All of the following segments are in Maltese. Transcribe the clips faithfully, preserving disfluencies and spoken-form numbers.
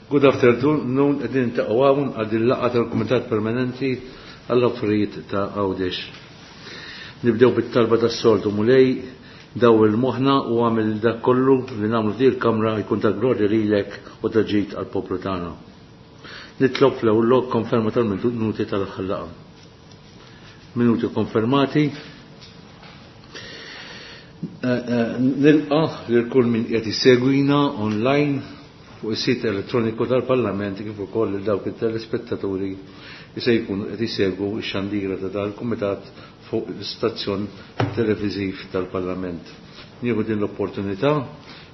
Good afternoon, qegħdin niltaqgħu hawn għal din laqgħa tal-Kumitat Permanenti għall-Affarijiet ta' Għawdex. Nibdew bit-talba tas-soltu Mulej, daw il-moħħna u għamil dak kollu li nagħmlu f'din il-kamra jkun ta' glorja lilek u ta' ġid għall-poplu tagħna. Nitlob fl-ewwel lok konferma tal-minuti tal-aħħar laqgħa. Minuti konfermati. Nilqa' lil kull min qed isegwina online fuq is-sit elettroniku tal-Parlament kif ukoll lil dawk it-telespettaturi li se jkunu qed isegwu x-xandira ta' dal-Kumitat fuq l-istazzjon televiżiv tal-Parlament. Nieħu din l-opportunità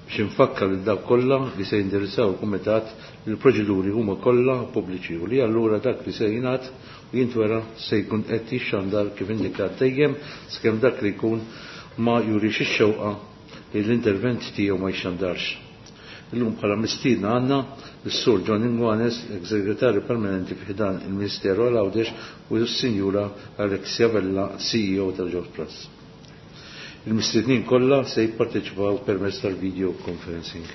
biex infakkar lil dawk kollha li se jindirizzaw il-Kumitat li l-proċeduri huma kollha pubbliċi u li allura dak li se jingħad u jintwera se jkun qed jixxandar kif indikat dejjem sakemm dak li jkun ma jurix ix-xewqa li l-intervent tiegħu ma jxandarx. Illum bħala mistiedna għandna s-Sur John Inguanes, ex-segretarju permanenti fi ħdan il-Ministeru għal Għawdex, u s-Sinjura Alexia Vella, C E O tal-Jobs Plus. Il-mistiednin kollha se jipparteċipaw permezz tal-video conferencing.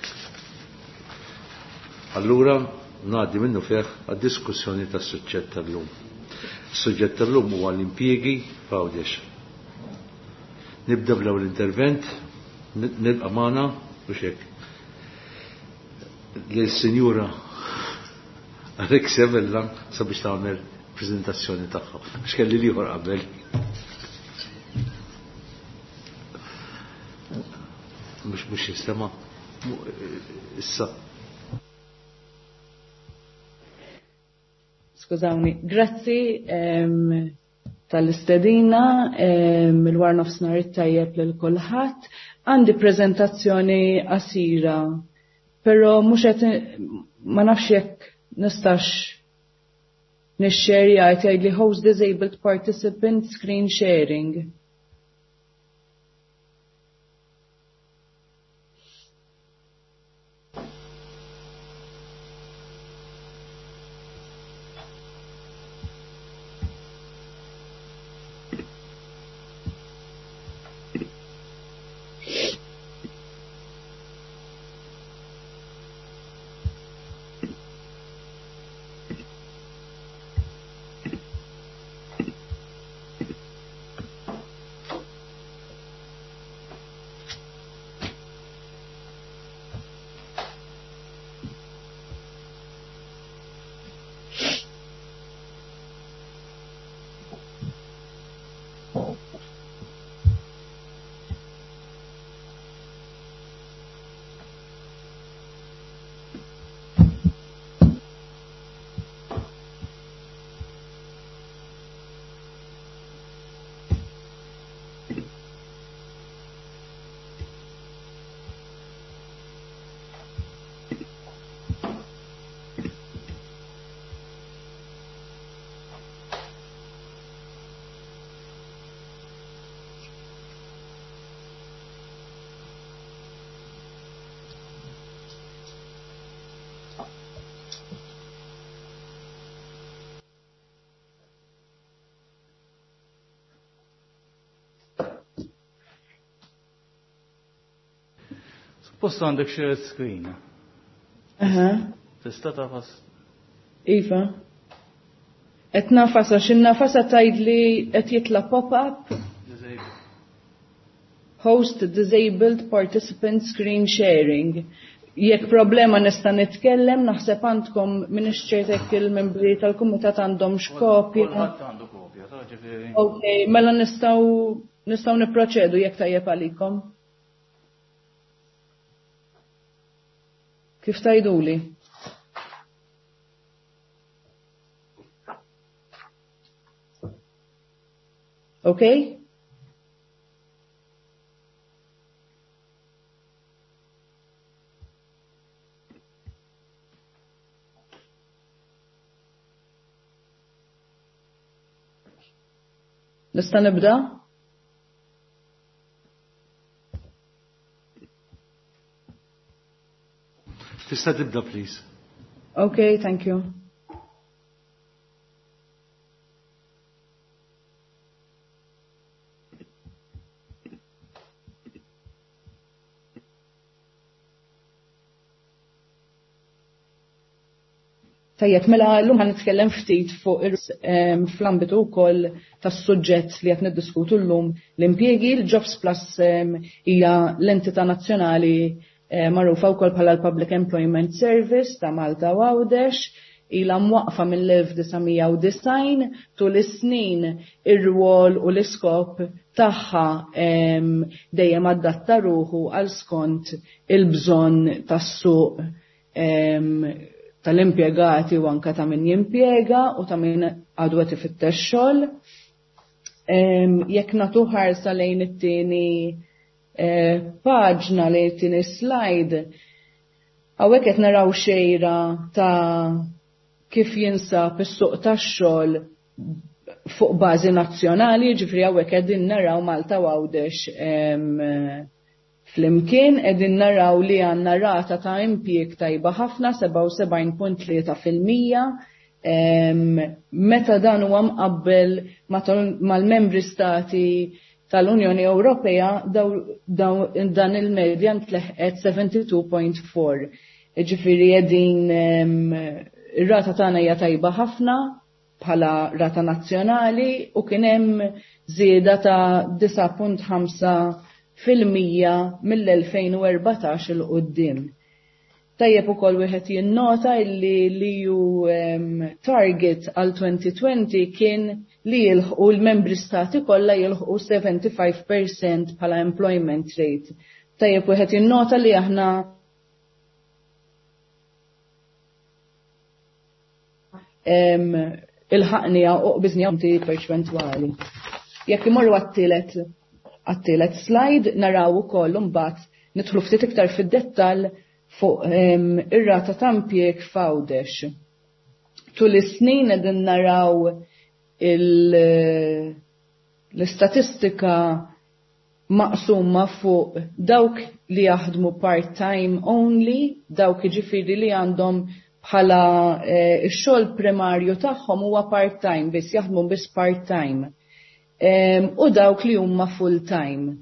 Allura ngħaddi minnu fih għad-diskussjoni tas-suġġett tal-lum. Is-suġġett tal-lum huwa l-impjiegi f'Għawdex. Nibda bl-ewwel intervent, nilqa' magħna u xek. L-Sinjura Alexia Vella sabiex tagħmel preżentazzjoni tagħha. Għax kelli l-ieħor qabel. Mhux mhux jistema'. Issa. Skużawni, grazzi tal-istedina, il-war nofsinhar it-tajjeb lil kulħadd. Għandi preżentazzjoni qasira, però mhux qed ma nafx jekk nistax nixxerja, qed jgħidli host disabled participant screen sharing. Posto għandek share screen. Aha. Tista' tafas? Iva. Qed nafasa, x'in nafasa tgħidli qed jitla' pop-up. Disabled. Host disabled participant screen sharing. Jekk problema nista' nitkellem, naħseb għandkom m'iniex ċert jekk il-membri tal-kumitat għandhom x'kopja. Kulħadd għandu kopja, ta' ġifieri. Ok, mela nistgħu, nistgħu nipproċedu jekk tajjeb għalikom. Kif tajduli? Ok? Nista' nibda? Tista' tibda, please. Okay, thank you. Tajjeb, mela llum ħa nitkellem ftit fuq fl-ambitu wkoll tas-suġġett li qed niddiskutu llum l-impjiegi. L-Jobs Plus hija l-entità nazzjonali magħrufa wkoll bħala l-Public Employment Service ta' Malta u Għawdex, ilha mwaqfa mill-elf disa' mija u disgħin. Tul is-snin ir-rwol u l-iskop tagħha dejjem adatta ruħu għal skont il-bżonn tas-suq tal-impjegati u anka ta' min jimpjega u ta' min għadu qed ifittex xogħol. Jekk nagħtu ħarsa lejn it-tieni paġna, lejn it-tieni slide, hawnhekk qed naraw xejra ta' kif jinsab is-suq tax-xogħol fuq bażi nazzjonali, ġifieri hawnhekk qegħdin naraw Malta u Għawdex flimkien, qegħdin naraw li għandna rata ta' impjieg tajba ħafna, sebgħa u sebgħin punt tlieta fil-mija, meta dan huwa mqabbel mal-membri stati tal-Unjoni Ewropea, dan il-medja ntleħqet seventy-two point four. Ġifieri qegħdin ir-rata tagħna hija tajba ħafna bħala rata nazzjonali u kien hemm żieda ta' disa' punt ħamsa fil-mija mill-elfejn u erbatax il quddiem. Tajjeb ukoll wieħed jinnota illi l-E U target għal twenty twenty kien li jilħqu l-membri stati kollha jilħqu seventy-five percent bħala employment rate. Tajjeb wieħed jinnota li aħna il-ħaqnija u qbiżnija punti perċentwali. Jekk imorru għat-tielet għat-tielet slide naraw ukoll imbagħad nidħlu ftit iktar fid-dettall fuq ir-rata ta' impjieg f'Għawdex. Tul is-snin qegħdin naraw il-, l-istatistika maqsuma fuq dawk li jaħdmu part-time only, dawk jiġifieri li għandhom bħala, eh, ix-xogħol primarju tagħhom huwa part-time biss, jaħdmu biss part-time. Em, u dawk li huma full-time.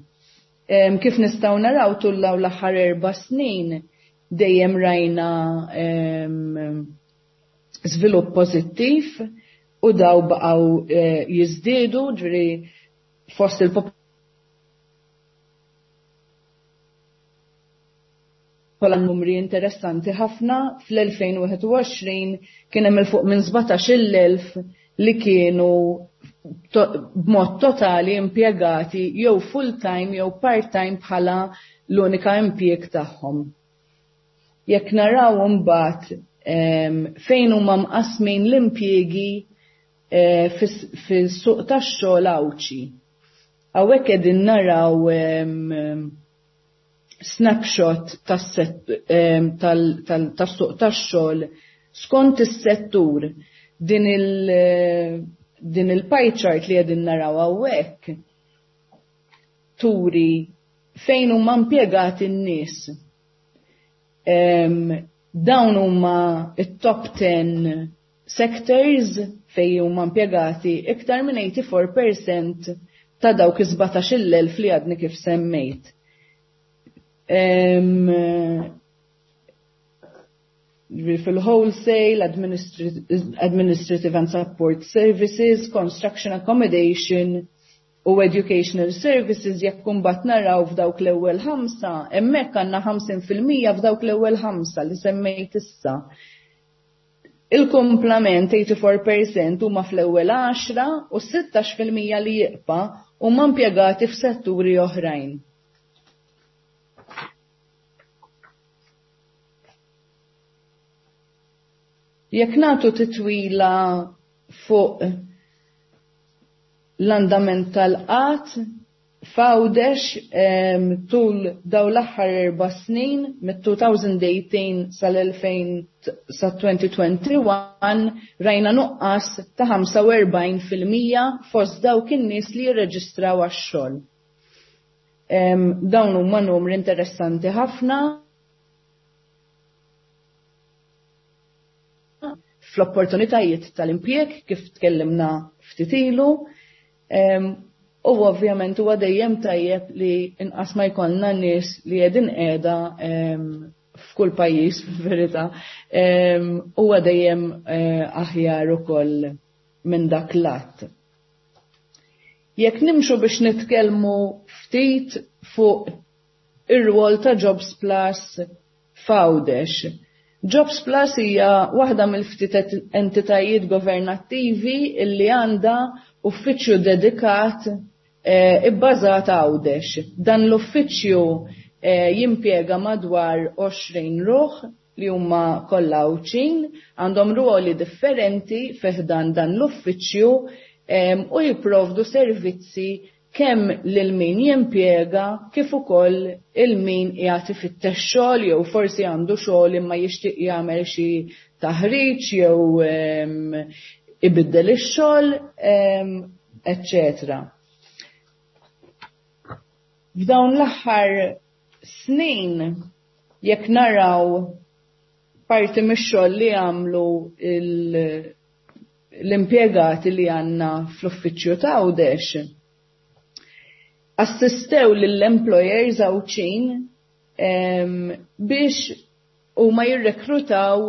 Em, kif nistgħu naraw tul dawn l-aħħar erba' snin dejjem rajna, em, żvilupp pożittiv u daw baqgħu, eh, jiżdiedu, ġifieri fost il-popolazzjoni numri interessanti ħafna. Fl-elfejn u wieħed u għoxrin kien hemm il fuq minn sbatax-il elf li kienu to-, b'mod totali impjegati jew full-time jew part-time bħala l-unika impjieg tagħhom. Jekk naraw imbagħad, em, fejn huma mqasmin l-impjiegi, eh, fis-, fis-suq tax-xogħol Għawdxi. Hawnhekk qegħdin naraw, em, snapshot tas-set-, em, tal-, tal-, tas-suq tax-xogħol skont is-settur. Din il-, din il-pie chart li qegħdin naraw hawnhekk turi fejn huma impjegati n-nies. Em, dawn huma it-top ten sectors fejn huma impjegati iktar minn eighty-four percent ta' dawk is-sbatax-il elf li għadni kif semmejt. Em, fil-wholesale, administri-, administrative and support services, construction accommodation u educational services. Jekk imbagħad naraw f'dawk l-ewwel ħamsa, hemmhekk għandna ħamsin fil-mija f'dawk l-ewwel ħamsa li semmejt issa. Il-kumplament eighty-four percent huma fl-ewwel għaxra u sittax fil-mija li jibqa' huma impjegati f'setturi oħrajn. Jekk nagħtu titwila fuq l-andament tal-qgħad f'Għawdex, em, tul daw l-aħħar erba' snin, mit-two thousand eighteen sal-elfejn sa twenty twenty-one, rajna nuqqas ta' ħamsa u erbgħin fil-mija fost dawk in-nies li jirreġistraw għax-xogħol. Em, dawn huma numri interessanti ħafna fl-opportunitajiet tal-impjieg kif tkellimna ftit ilu, em, u ovvjament huwa dejjem tajjeb li inqas ma jkollna nies li qegħdin qiegħda, em, f'kull pajjiż fil-verità, huwa dejjem eh, aħjar ukoll minn dak l-att. Jekk nimxu biex nitkellmu ftit fuq ir-rwol ta' Jobs Plus f'Għawdex. Jobs Plus hija waħda mill-ftit entitajiet governattivi illi għandha uffiċċju dedikat eh, ibbażat Għawdex. Dan l-uffiċċju eh, jimpjega madwar għoxrin ruħ li huma kollha Għawdxin, għandhom ruoli differenti fiħdan dan l-uffiċċju u jipprovdu servizzi kemm lil min jimpjega kif ukoll il min qiegħed ifittex xogħol jew forsi għandu xogħol imma jixtieq jagħmel xi taħriġ jew ibiddel ix-xogħol, eċċetera. F'dawn l-aħħar snin jekk naraw parti mix-xogħol li għamlu l-impjegati li għandna fl-uffiċċju ta' Għawdex, assistew lill-employers Għawdxin biex huma jirrekrutaw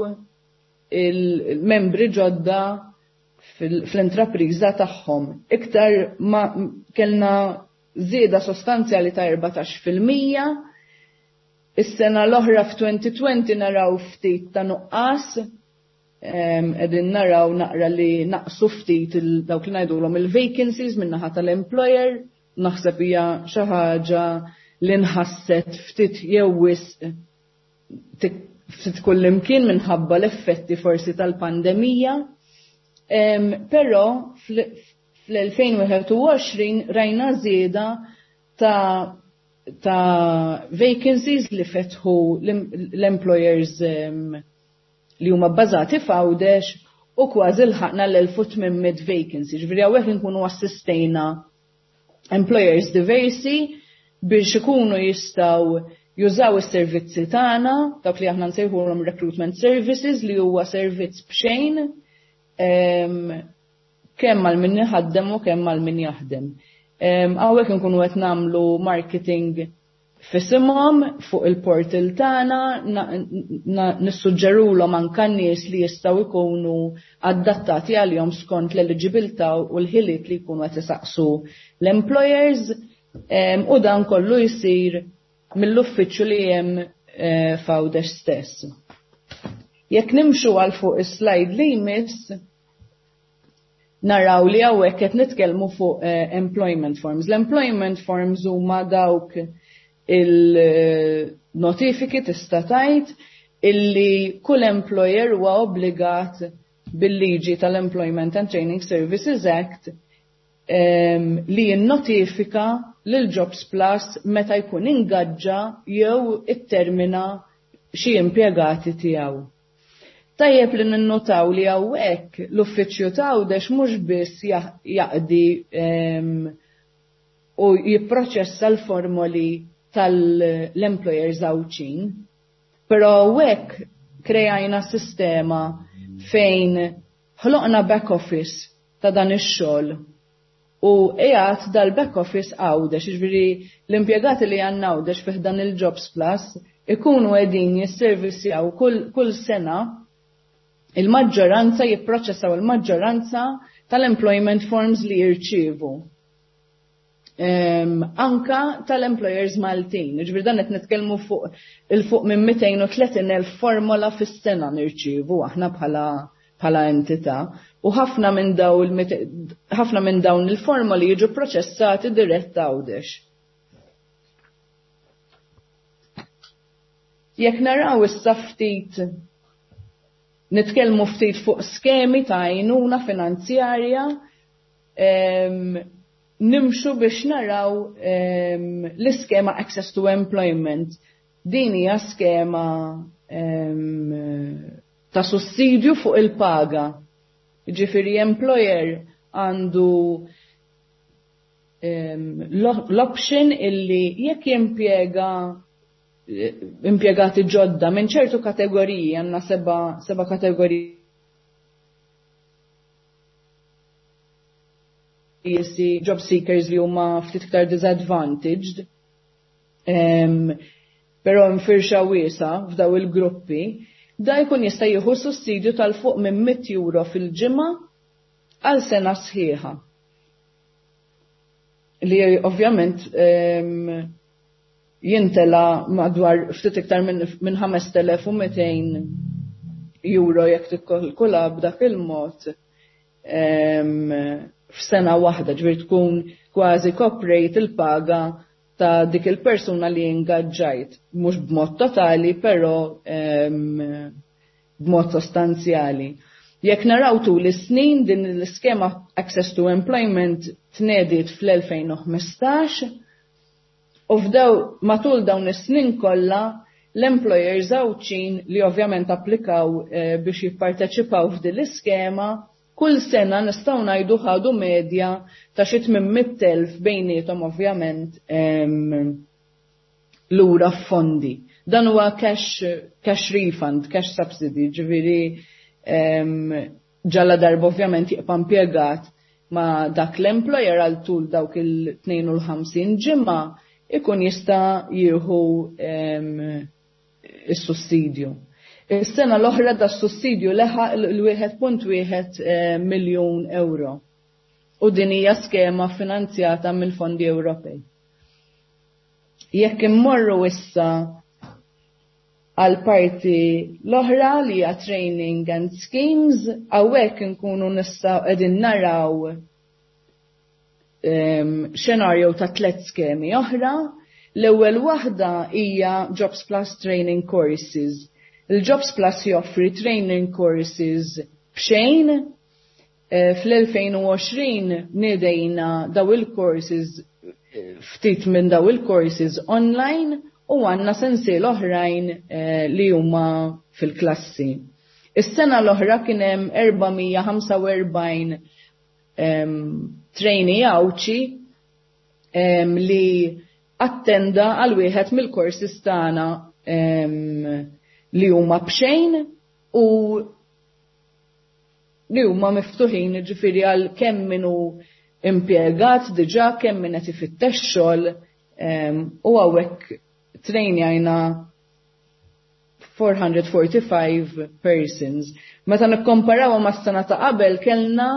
il-membri ġodda fl-intrapriża tagħhom. Iktar ma kellna żieda sostanzjali ta' erbatax fil-mija. Is-sena l-oħra f'twenty twenty naraw ftit ta' nuqqas, qegħdin naraw naqra li naqsu ftit dawk li ngħidulhom il-vacancies min-naħa tal-employer, naħseb hija xi ħaġa li nħasset ftit jew wisq ftit kullimkien minħabba l-effetti forsi tal-pandemija. Però fl-elfejn wieħed u għoxrin rajna żieda ta' ta' vacancies li fetħu l-employers li huma bbażati f'Għawdex u kważi lħaqna l-elf u tmien mitt vacancies. Ġifieri hawnhekk inkunu assistejna employers diversi biex ikunu jistgħu jużaw is-servizzi tagħna, dawk li aħna nsejħulhom recruitment services li huwa servizz b'xejn, kemm għal min iħaddem u kemm għal min jaħdem. Hawnhekk inkunu qed nagħmlu marketing f'isimhom fuq il-portal tagħna, nissuġġerulhom anke nies li jistgħu jkunu adattati għalihom skont l-eligibilità u l-ħiliet li jkunu qed isaqsu l-employers, u dan kollu jsir mill-uffiċċju li hemm, eh, f'Għawdex stess. Jekk nimxu għal fuq is-slide li jmiss, naraw li hawnhekk qed nitkellmu fuq, eh, employment forms. L-employment forms huma dawk il-notifiki tista' tgħid illi kull employer huwa obbligat bil-liġi tal-Employment and Training Services Act, em, li jinnotifika lil Jobs Plus meta jkun ingaġġa jew ittermina xi impjegati tiegħu. Tajjeb li ninnotaw li hawnhekk l-uffiċċju ta' Għawdex mhux biss jaqdi, em, u jipproċessa l-formoli tal-employers Għawdxin, però hawnhekk krejajna sistema fejn ħloqna back office ta' dan ix-xogħol u qiegħed dal-back office Għawdex, jiġifieri l-impjegati li għandna Għawdex fih dan il-Jobs Plus ikunu qegħdin jisservissjaw kull, kull sena il-maġġoranza, jipproċessaw il-maġġoranza tal-employment forms li jirċievu. Em, anka tal-employers Maltin. Jiġifieri dan qed nitkellmu fuq il-fuq minn mitejn u tletin elf formola fis-sena nirċievu aħna bħala, bħala entità. U ħafna minn dawn il-mit-, ħafna minn dawn il-formoli jiġu proċessati dirett Għawdex. Jekk naraw issa ftit nitkellmu ftit fuq skemi ta' għajnuna finanzjarja, em, nimxu biex naraw, em, l-iskema Access to Employment. Din hija skema, em, ta' sussidju fuq il-paga. Jiġifieri employer għandu, em, l-option illi jekk jimpjega impjegati ġodda minn ċertu kategoriji, għandna seba, seba kategoriji job seekers li huma ftit iktar disadvantaged, em, però mfirxa wiesgħa f'daw il-gruppi, da jkun jista' jieħu sussidju tal-fuq minn mitt euro fil-ġimgħa għal sena sħiħa. Li ovvjament jintela madwar ftit iktar minn ħamest elef u mitejn euro jekk tikkalkula b'dak il-mod f'sena waħda, ġifieri tkun kważi koprejt il-paga ta' dik il-persuna li ingaġġajt, mhux b'mod totali, però b'mod sostanzjali. Jekk naraw tul is-snin din l-iskema Access to Employment tnediet fl-elfejn u ħmistax u f'daw matul dawn is-snin kollha l-employers Għawdxin li ovvjament applikaw eh, biex jipparteċipaw f'din l-iskema, kull sena nistgħu ngħidu ħadu medja ta' xi tmien mitt elf bejniethom ovvjament, em, lura f'fondi. Dan huwa cash, cash refund, cash subsidy, ġifieri, em, ġalla darba ovvjament jibqa' impjegat ma' dak l-employer għal tul dawk il-tnejn u ħamsin ġimgħa ikun jista' jieħu, em, is-sussidju. Is-sena l-oħra da sussidju leħaq l-wieħed punt wieħed, eh, miljun euro. U din hija skema finanzjata mill-fondi Ewropej. Jekk immorru issa għal parti l-oħra li hija training and schemes, hawnhekk inkunu nistgħu qegħdin naraw, em, xenarju ta' tliet skemi oħra. L-ewwel waħda hija Jobs Plus Training Courses. Il-Jobs Plus joffri training courses b'xejn. Eh, fl-elfejn u għoxrin nidejna daw il-courses, eh, ftit minn daw il-courses online u għandna sensiel oħrajn, eh, li huma fil-klassi. Is-sena l-oħra kien hemm erba' mija ħamsa u erbgħin, em, trainee Għawdxi, em, li attenda għal wieħed mill-courses tagħna, em, li huma b'xejn u li huma miftuħin, ġifieri għal kemm min hu impjegat diġà, kemm min qed ifittex xogħol, em, u hawnhekk trejnjajna four hundred forty-five persons. Meta nikkomparaw mas-sena ta' qabel kellna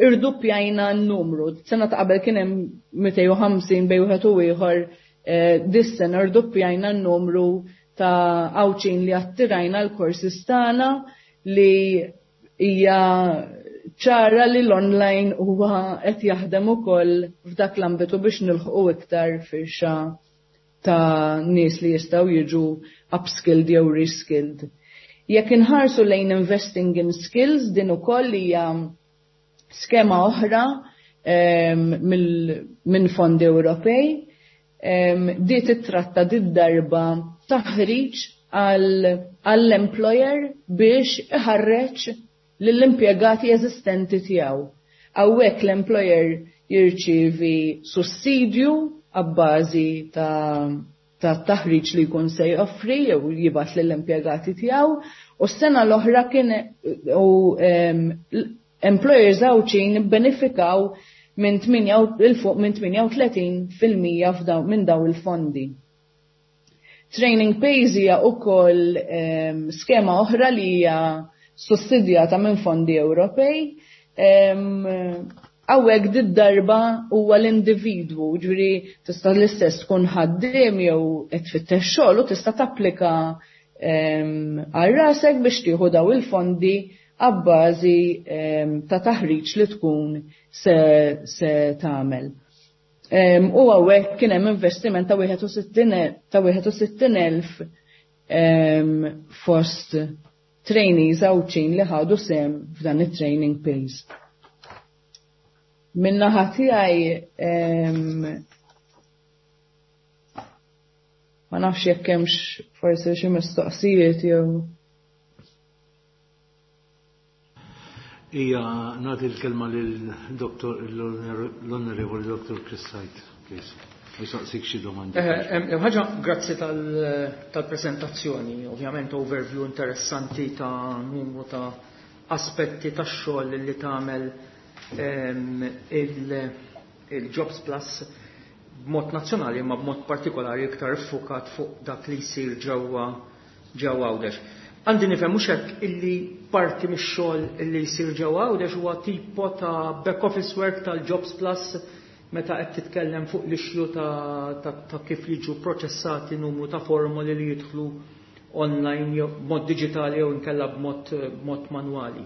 irduppjajna n-numru. Sena ta' qabel kien hemm mitejn u ħamsin bejn wieħed u ieħor, eh, dis-sena irduppjajna n-numru ta' Għawdxin li attirajna l-courses tagħna, li hija ċara li l-online huwa qed jaħdem ukoll f'dak l-ambitu biex nilħqu iktar firxa ta' nies li jistgħu jiġu upskilled jew reskilled. Jekk inħarsu lejn investing in skills, din ukoll hija skema oħra, em, mill-, minn fondi Ewropej. Em, di titratta di darba taħriġ għal, għall-employer biex iħarreġ lill-impjegati eżistenti tiegħu. Hawnhekk l-employer jirċievi sussidju għabbażi ta', ta' taħriġ li jkun se joffri jew jibgħat lill-impjegati tiegħu, u s-sena l-oħra kien u, em, employers Għawdxin ibbenefikaw minn tminja u, il fuq minn tminja u tletin fil-mija f'daw, minn daw il-fondi. Training Pays hija wkoll, em, skema oħra li hija sussidjata minn fondi Ewropej. Em, hawnhekk did-darba huwa l-individwu, ġifieri tista' l-istess tkun ħaddiem jew qed tfittex xogħol u tista' tapplika, em, għal rasek biex tieħu daw il-fondi għabbażi, em, ta' taħriġ li tkun se, se tagħmel. Em, u hawnhekk kien hemm investiment ta' wieħed u sittin ta' wieħed u sittin elf, em, fost trainees Għawdxin li ħadu sehem f'dan it-training pays. Min-naħa tiegħi, em, ma nafx jekk hemmx forsi xi mistoqsijiet jew. Ija, nagħti l-kelma lil doktor, l-Onorevoli Doktor Chris Said, please. Jisaqsik xi domandi. Eh, em, em, ħaġa, grazzi tal-, tal-prezentazzjoni, ovvjament overview interessanti ta' numru ta' aspetti ta' xogħol li tagħmel, em, il-, il-Jobs Plus b'mod nazzjonali imma b'mod partikolari iktar iffukat fuq dak li jsir ġewwa ġewwa Għawdex. Għandi nifhem mhux hekk illi parti mix-xogħol illi jsir ġewwa Għawdex huwa tipo ta' back office work tal-Jobs Plus meta qed titkellem fuq l-issue ta', ta, ta kif jiġu proċessati numru ta' formoli li jidħlu online jew b'mod diġitali jew inkella b'mod b'mod manwali.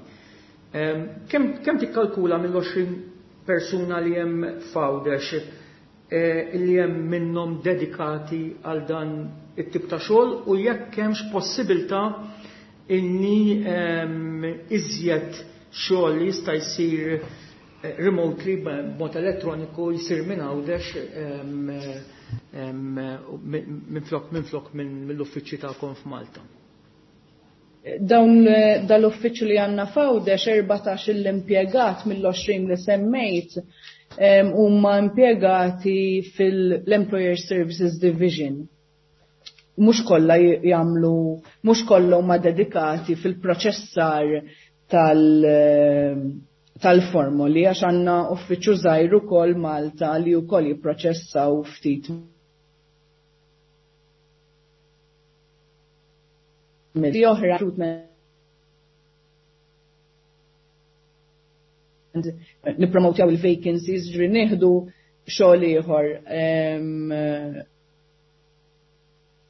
Kemm kemm tikkalkula mill-għoxrin persuna li hemm f'Għawdex eh, li hemm minnhom dedikati għal dan it-tip ta' xogħol u jekk hemmx possibilità inni iżjed xogħol li jista' jsir eh, remotely b'mod elettroniku jsir minn Għawdex minflok minflok mill-uffiċċji tagħkom f'Malta. Dawn eh, dal-uffiċċju li għandna f'Għawdex erbatax l-impjegat mill-għoxrin li semmejt huma impjegati fil-Employer Services Division. Mhux kollha jagħmlu, mhux kollha huma dedikati fil-proċessar tal tal-formoli għax għandna uffiċċju żgħir ukoll Malta li wkoll jipproċessaw ftit mill oħra recruitment nippromotjaw il-vacancies, ġifieri nieħdu xogħol ieħor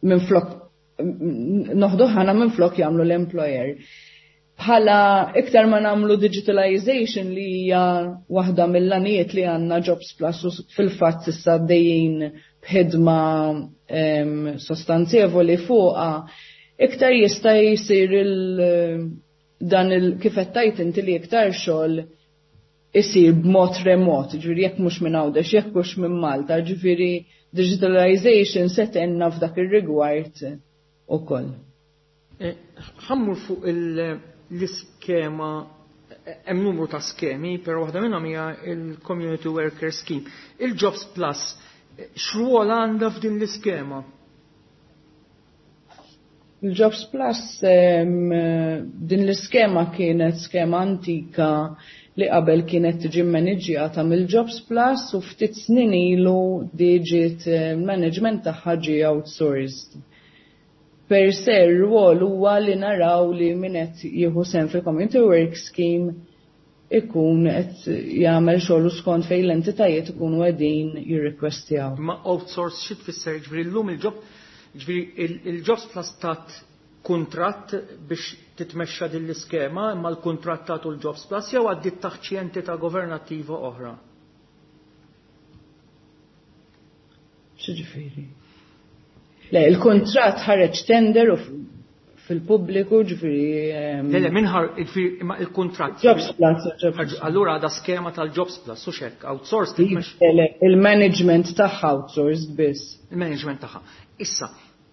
minn flok noħdu ħana minn flok jagħmlu l-employer. Bħala iktar ma nagħmlu digitalization li hija waħda mill-għanijiet li għandna Jobs Plus u fil-fatt issa għaddejjin b'ħidma sostanzjevoli fuqha, iktar jista' jsir il dan il kif qed tgħid inti li iktar xogħol isir b'mod remot, ġifieri jekk mhux minn Għawdex, jekk mhux minn Malta, ġifieri digitalization se tgħinna f'dak ir-rigward ukoll. Ħa mmur fuq l-iskema, hemm numru ta' skemi, però waħda minnhom hija il-Community Worker Scheme. Il-Jobs Plus, x'rwol għandha f'din l-iskema? Il-Jobs Plus, din l-iskema kienet skema antika li qabel kienet tiġi maniġjata mill-Jobs Plus u ftit snin ilu diġiet management tagħha ġie outsourced. Per se r-rwol huwa li naraw li min qed jieħu sehem fil-Community Work Scheme ikun qed jagħmel xogħol skont fejn l-entitajiet ikunu qegħdin jirrikwestjaw. Ma outsource xi tfisser? Ġifieri llum il-job, ġifieri il-Jobs Plus tat kuntratt biex titmexxa din l-iskema, imma l-kuntratt tagħtu l-Jobs Plus jew għaddiet taħt xi entità governattiva oħra? X'ġifieri? Le, il-kuntratt ħareġ tender u fil-pubbliku, ġifieri, Le, le, minħar, ġifieri, imma il-kuntratt. Jobs Plus, Jobs Plus. Allura għadha skema tal-Jobs Plus, u xek, outsourced titmexxa. Le, le, il-management tagħha outsourced biss. Il-management tagħha. Issa,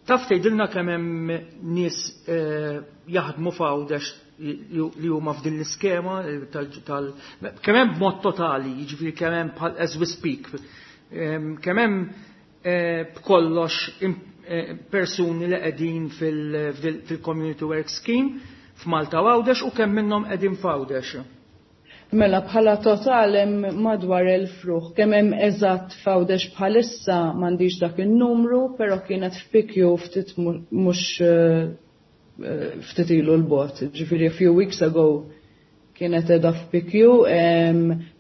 taf tgħidilna kemm hemm nies, eh, jaħdmu f'Għawdex li huma f'din l-iskema tal, tal, kemm hemm b'mod totali, jiġifieri kemm hemm bħal as we speak, ehm, kemm hemm, eh, b'kollox eh, persuni li qegħdin fil-, fil-Community Work Scheme f'Malta u Għawdex u kemm minnhom qegħdin f'Għawdex? Mela bħala total hemm madwar elf ruħ. Kemm hemm eżatt f'Għawdex bħalissa m'għandix dak in-numru, però kienet f'P Q ftit mhux, eh, ftit ilu l-bot. Ġifieri a few weeks ago kienet qiegħda f'P Q,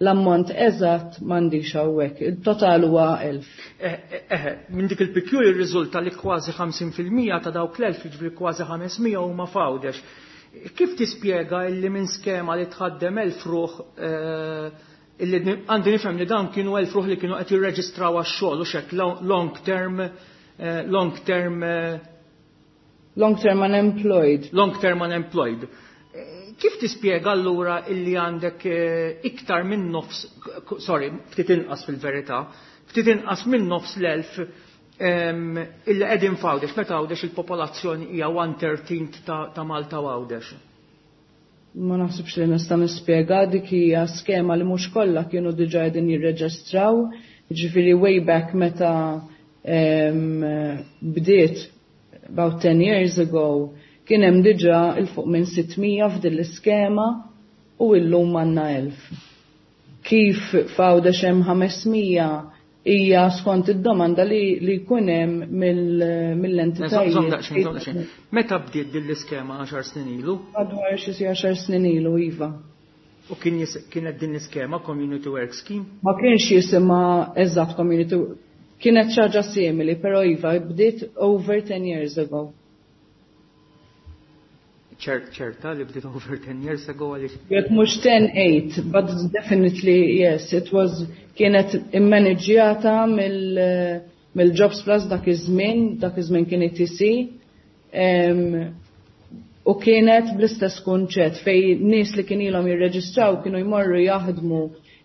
l-ammont eżatt m'għandix hawnhekk. Il-total huwa elf. Eh, eh, eh, minn dik il-P Q jirriżulta li kważi ħamsin fil-mija ta' dawk l-elf, jiġifieri kważi ħames mija huma f'Għawdex. Kif tispjega illi minn skema li tħaddem elf ruħ, eh, illi għandi nifhem li dawn kienu elf ruħ li kienu qed jirreġistraw għax-xogħol u xek long term, eh, long term, eh, Long term unemployed. Long term unemployed. Kif tispjega allura illi għandek, eh, iktar minn nofs, sorry, ftit inqas fil-verità, ftit inqas minn nofs l-elf, em, illi qegħdin f'Għawdex, meta Għawdex il-popolazzjoni hija one thirteenth ta', ta' Malta u Għawdex? Ma naħsibx li nista' nispjega, dik hija skema li mhux kollha kienu diġà qegħdin jirreġistraw, jiġifieri way back meta, em, bdiet about ten years ago, kien hemm diġà il fuq minn sitt mija f'din l-iskema u illum għandna elf. Kif f'Għawdex hemm ħames mija hija skont id-domanda li li jkun hemm mill-entitajiet. Meta bdiet din l-iskema għaxar snin ilu? Madwar xi għaxar snin ilu, iva. U kien kienet din l-iskema Community Work Scheme? Ma kienx jisimha eżatt Community, kienet xi ħaġa simili, però iva bdiet over ten years ago. Ċerta li bdiet over ten years ago għaliex? Jekk mhux ten, eight, but definitely yes, it was, kienet immaneġġjata mill-Jobs Plus dak iż-żmien, dak iż-żmien kien A T C, u kienet bl-istess kunċett fej nies li kien ilhom jirreġistraw kienu jmorru jaħdmu,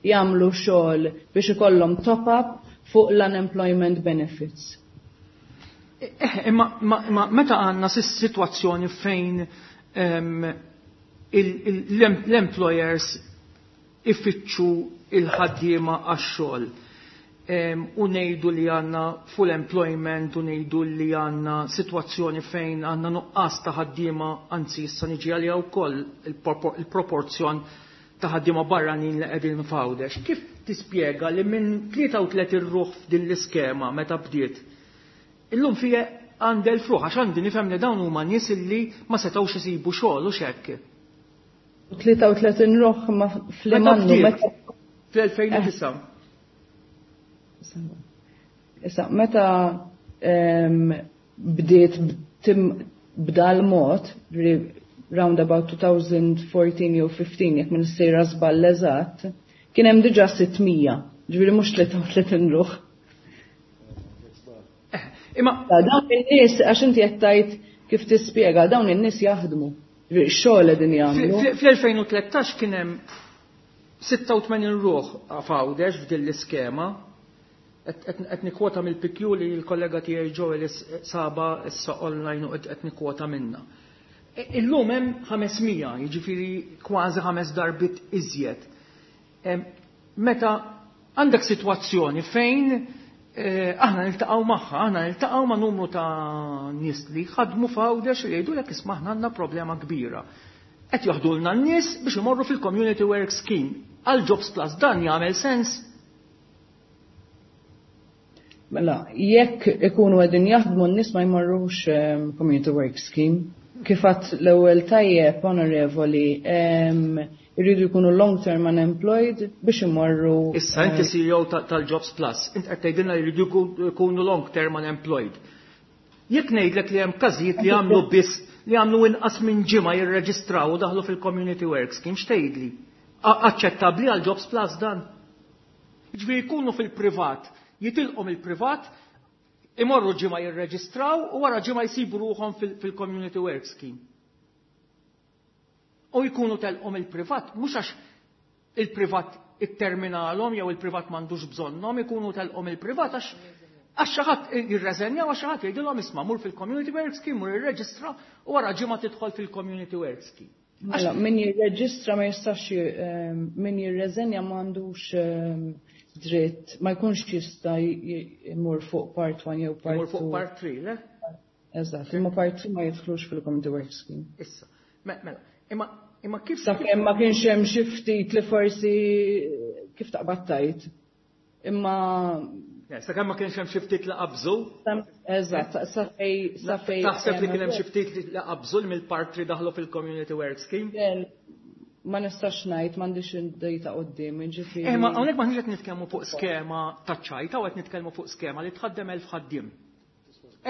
jagħmlu xogħol biex ikollhom top-up fuq l-unemployment benefits. Eh, imma, imma meta għandna sitwazzjoni fejn l-employers ifittxu il-ħaddiema għax-xogħol u ngħidu li għandna full employment u ngħidu li għandna sitwazzjoni fejn għandna nuqqas ta' ħaddiema, anzi issa niġi għalija wkoll il-proporzjon ta' ħaddiema barranin li qegħdin f'Għawdex. Kif tispjega li minn tlieta u tletin ruħ f'din l-iskema meta bdiet, illum fija għandel fruħ, għax għandi nifhem li dawn huma nies illi ma setgħux isibu xogħol u x'hekk. Tlieta u tletin ruħ ma fl-imannu, Meta bdiet? meta Fl-elfejn u tisa'. Issa, meta, em, bdiet tim b'dal mod, round about two thousand fourteen jew fifteen, jekk minn sejra żball eżatt, kien hemm diġà sitt mija, ġifieri mhux tlieta u tletin ruħ. Eh, imma dawn in-nies, għax inti qed tgħid kif tispjega, dawn in-nies jaħdmu. Ġifieri xogħol qegħdin jagħmlu. Fl-elfejn u tlettax kien hemm sitta u tmenin ruħ f'Għawdex f'din l-iskema. Qed nikkwota mill-P Q li l-kollega tiegħi Joel saba issa online u qed nikkwota minna. E, illum hemm ħames mija, jiġifieri kważi ħames darbiet iżjed. Em, meta għandek sitwazzjoni fejn, eh, aħna niltaqgħu magħha, aħna niltaqgħu ma' numru ta' nies li ħadmu f'Għawdex li jgħidulek isma' aħna għandna problema kbira. Qed joħdulna n-nies biex imorru fil-Community Work Scheme. Għal Jobs Plus dan jagħmel sens? Mela, jekk ikunu qegħdin jaħdmu n-nies ma jmorrux, ehm, Community Work Scheme. Kif għadt l-ewwel tajjeb, onorevoli, ehm, irridu jkunu long-term unemployed biex imorru, Issa inti eh, C E O ta-, tal-Jobs Plus, inti qed tgħidilna li jridu jkun-, jkunu long-term unemployed. Jekk ngħidlek li hemm każijiet li għamlu biss li għamlu inqas minn ġimgħa jirreġistraw u daħlu fil-Community Work Scheme, x'tgħidli? A-, aċċettabbli għal Jobs Plus dan? Jiġifieri jkunu fil-privat, jitilqu mill-privat, imorru ġimgħa jirreġistraw u wara ġimgħa jsibu ruħhom fil-, fil-Community Work Scheme. U jkunu telqu mill-privat, mhux għax il-privat itterminalhom jew il-privat m'għandux bżonnhom, ikunu telqu mill-privat għax, għax xi ħadd jirreżenja u għax xi ħadd jgħidilhom isma' mur fil-Community Work Scheme, mur irreġistra u wara ġimgħa tidħol fil-Community Work Scheme. Mela, min jirreġistra ma jistax, ehm, min jirreżenja ma għandux, ehm, dritt, ma jkunx jista' jmur fuq part one jew part Jmur fuq two. part three, le? Eżatt, imma part two ma jidħlux fil-Community Work Scheme. Issa, me-, mela, imma, imma kif Sakemm ma kienx hemm xi ftit li forsi kif taqbad tajt. Imma Le, sakemm ma kienx hemm xi ftit li qabżu? Eżatt, sa fej, sa fej Taħseb li kien hemm hemm xi ftit li qabżu mill-part three daħlu fil-Community Work Scheme? Le, ma nistax ngħid, m'għandix id-data quddiem, jiġifieri. Eh, ma hawnhekk m'aħniex qed nitkellmu fuq skema ta' ċajta u qed nitkellmu fuq skema li tħaddem elf ħaddiem.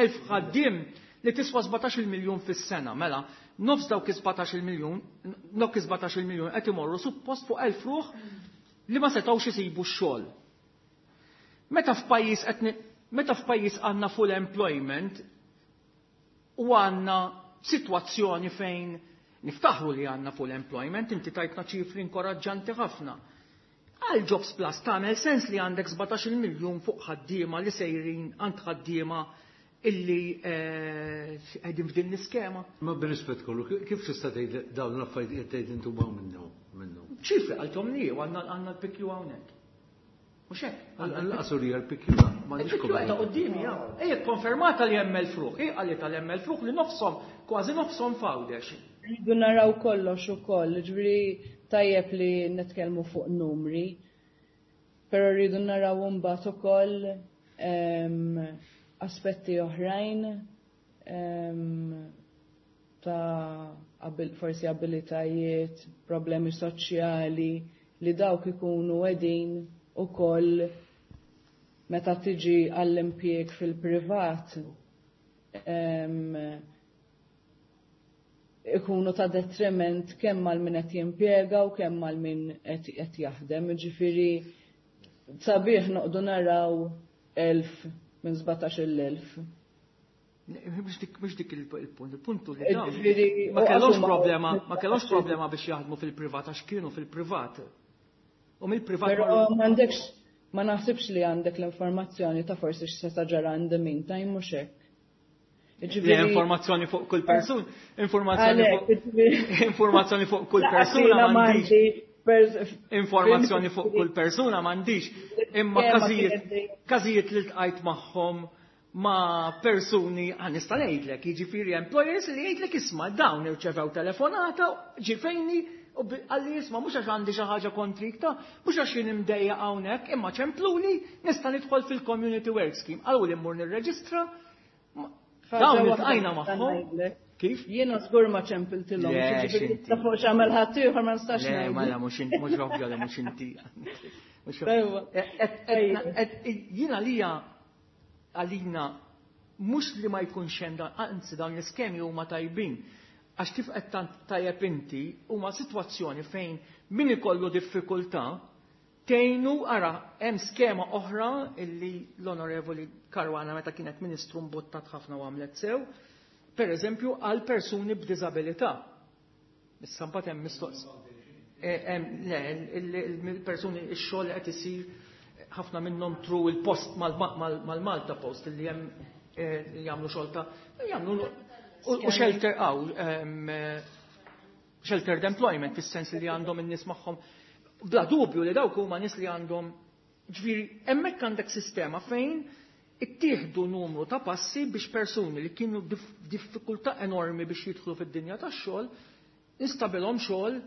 Elf ħaddiem li tiswa sbatax-il miljun fis-sena, mela, nofs dawk is-sbatax-il miljun, dawk is-sbatax-il miljun qed imorru suppost fuq elf ruħ li ma setgħux isibu x-xogħol. Meta f'pajjiż qed ni-, meta f'pajjiż għandna full employment u għandna sitwazzjoni fejn niftaħru li għandna full employment, inti tajtna ċifri inkoraġġanti ħafna. Għal Jobs Plus tagħmel sens li għandek sbatax-il miljun fuq ħaddiema li sejrin għand ħaddiema illi, eh, qegħdin f'din l-iskema. Ma b'rispett kollu, ki-, kif tista' tgħid dawn l-affarijiet qed tgħid intu hawn minnu, minnu? Ċifri qalthom li għandna, għandna l-P Q hawnhekk. Mhux hekk? Għal-qasur hija l-P Q, m'għandix Il-P Q qiegħda komment. quddiemi, ja. Ejja konfermata li hemm il-fruħ, hi qalet li hemm il-fruħ li nofshom, kważi nofshom f'Għawdex. Rridu naraw kollox ukoll, ġifieri tajjeb li nitkellmu fuq numri. Però rridu naraw mbagħad ukoll aspetti oħrajn ta' forsi abilitajiet, problemi soċjali li dawk ikunu qegħdin ukoll meta tiġi għall-impjieg fil-privat ikunu ta' detriment kemm għal min qed jimpjega u kemm għal min qed jaħdem. Ġifieri sabiħ noqdu naraw elf minn sbatax-il elf. Mhux dik il-punt, il-puntu li dawn ma kellhomx problema, ma kellhomx problema biex jaħdmu fil-privat għax kienu fil-privat. U mill-privat. Però m'għandekx, ma naħsibx li għandek l-informazzjoni ta' forsi x'seta' ġara in the meantime, mhux hekk. Informazzjoni fuq kull persuna, informazzjoni fuq informazzjoni fuq kull persuna m'għandix. Informazzjoni fuq kull persuna m'għandix. Imma każijiet każijiet li ltqajt magħhom ma' persuni, għan nista' ngħidlek, jiġifieri employers li jgħidlek isma' dawn irċevew telefonata, ġifejni u għalli isma' mhux għax għandi xi ħaġa kontrik ta' mhux għax jien imdejja hawnhekk, imma ċempluli nista' nidħol fil-community work scheme. Qalu li mmur nirreġistra. Dawn iltqajna magħhom. Kif? Jiena żgur ma ċempiltilhom. Ta' fuq x'għamel ħadd ieħor ma nistax ngħid. Le, mela mhux inti, mhux ovvja li mhux inti. Jiena lija għalina mhux li ma jkunx hemm, anzi dawn l-iskemi huma tajbin. Għax kif qed tant tajjeb inti huma sitwazzjoni fejn min ikollu diffikultà tgħinu ara hemm skema oħra illi l-Onorevoli Caruana meta kienet Ministru mbuttat ħafna u għamlet sew, per eżempju għal persuni b'diżabilità. Issa mbagħad hemm mistoqs. Le, il-persuni ix-xogħol qed isir ħafna minnhom tru il-post mal-Malta Post illi hemm jagħmlu xogħol ta' jagħmlu u shelter għaw sheltered employment fis-sens li għandhom in-nies magħhom. Bla dubju li dawk huma nies li għandhom, ġifieri hemmhekk għandek sistema fejn ittieħdu numru ta' passi biex persuni li kienu diffikultà enormi biex jidħlu fid-dinja tax-xogħol instabilhom xogħol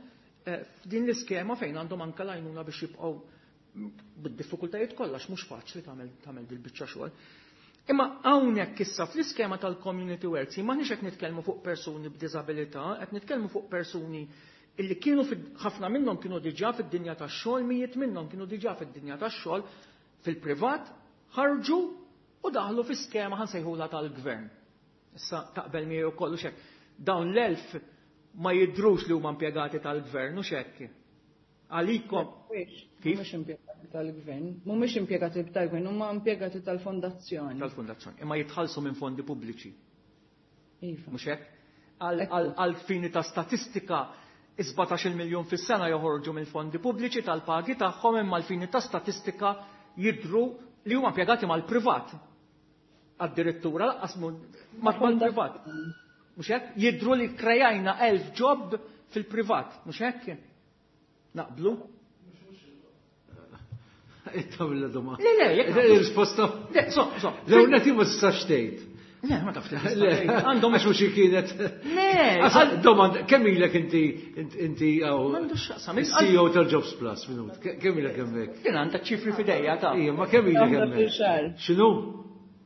f'din l-iskema fejn għandhom anke l-għajnuna biex jibqgħu bid-diffikultajiet kollha mhux faċli tagħmel tagħmel dil-biċċa xogħol. Imma hawnhekk issa fl-iskema tal-community works m'aħniex qed nitkellmu fuq persuni b'diżabilità, qed nitkellmu fuq persuni illi kienu ħafna minnhom kienu diġà fid-dinja tax-xogħol, mijiet minnhom kienu diġà fid-dinja tax-xogħol fil-privat, ħarġu u daħlu fi skema ħansejħula tal-gvern. Issa taqbel miegħi wkoll u xek. Dawn l-elf ma jidrux li huma impjegati tal-gvern u xekk. Għalikom. Kif? Mhumiex impjegati tal-gvern, mhumiex impjegati tal-gvern, huma impjegati tal-fondazzjoni. Tal-fondazzjoni, imma jitħallsu minn fondi pubbliċi. Iva. Mhux hekk? Għal fini ta' statistika sbatax-il miljun fis-sena joħorġu mill-fondi pubbliċi tal-pagi tagħhom, imma l-fini ta' statistika jidru li huma impjegati mal-privat. Addirittura lanqas mal-privat. Mhux hekk? Jidru li krejajna elf job fil-privat, mhux hekk? Naqblu? Ittawilla domanda. Le, le, jekk Il-risposta. Le, so, so. Le, unna ti ma tistax tgħid. Le, ma tafx tgħid. Għandhom għax mhux kienet. Le, domanda, kemm ilek inti inti hawn? M'għandux x'aqsam. C E O tal-Jobs Plus, minut. Kemm ilek hemmhekk? Jien għandek ċifri f'idejja ta' Ija, ma kemm ilek hemmhekk? X'inhu?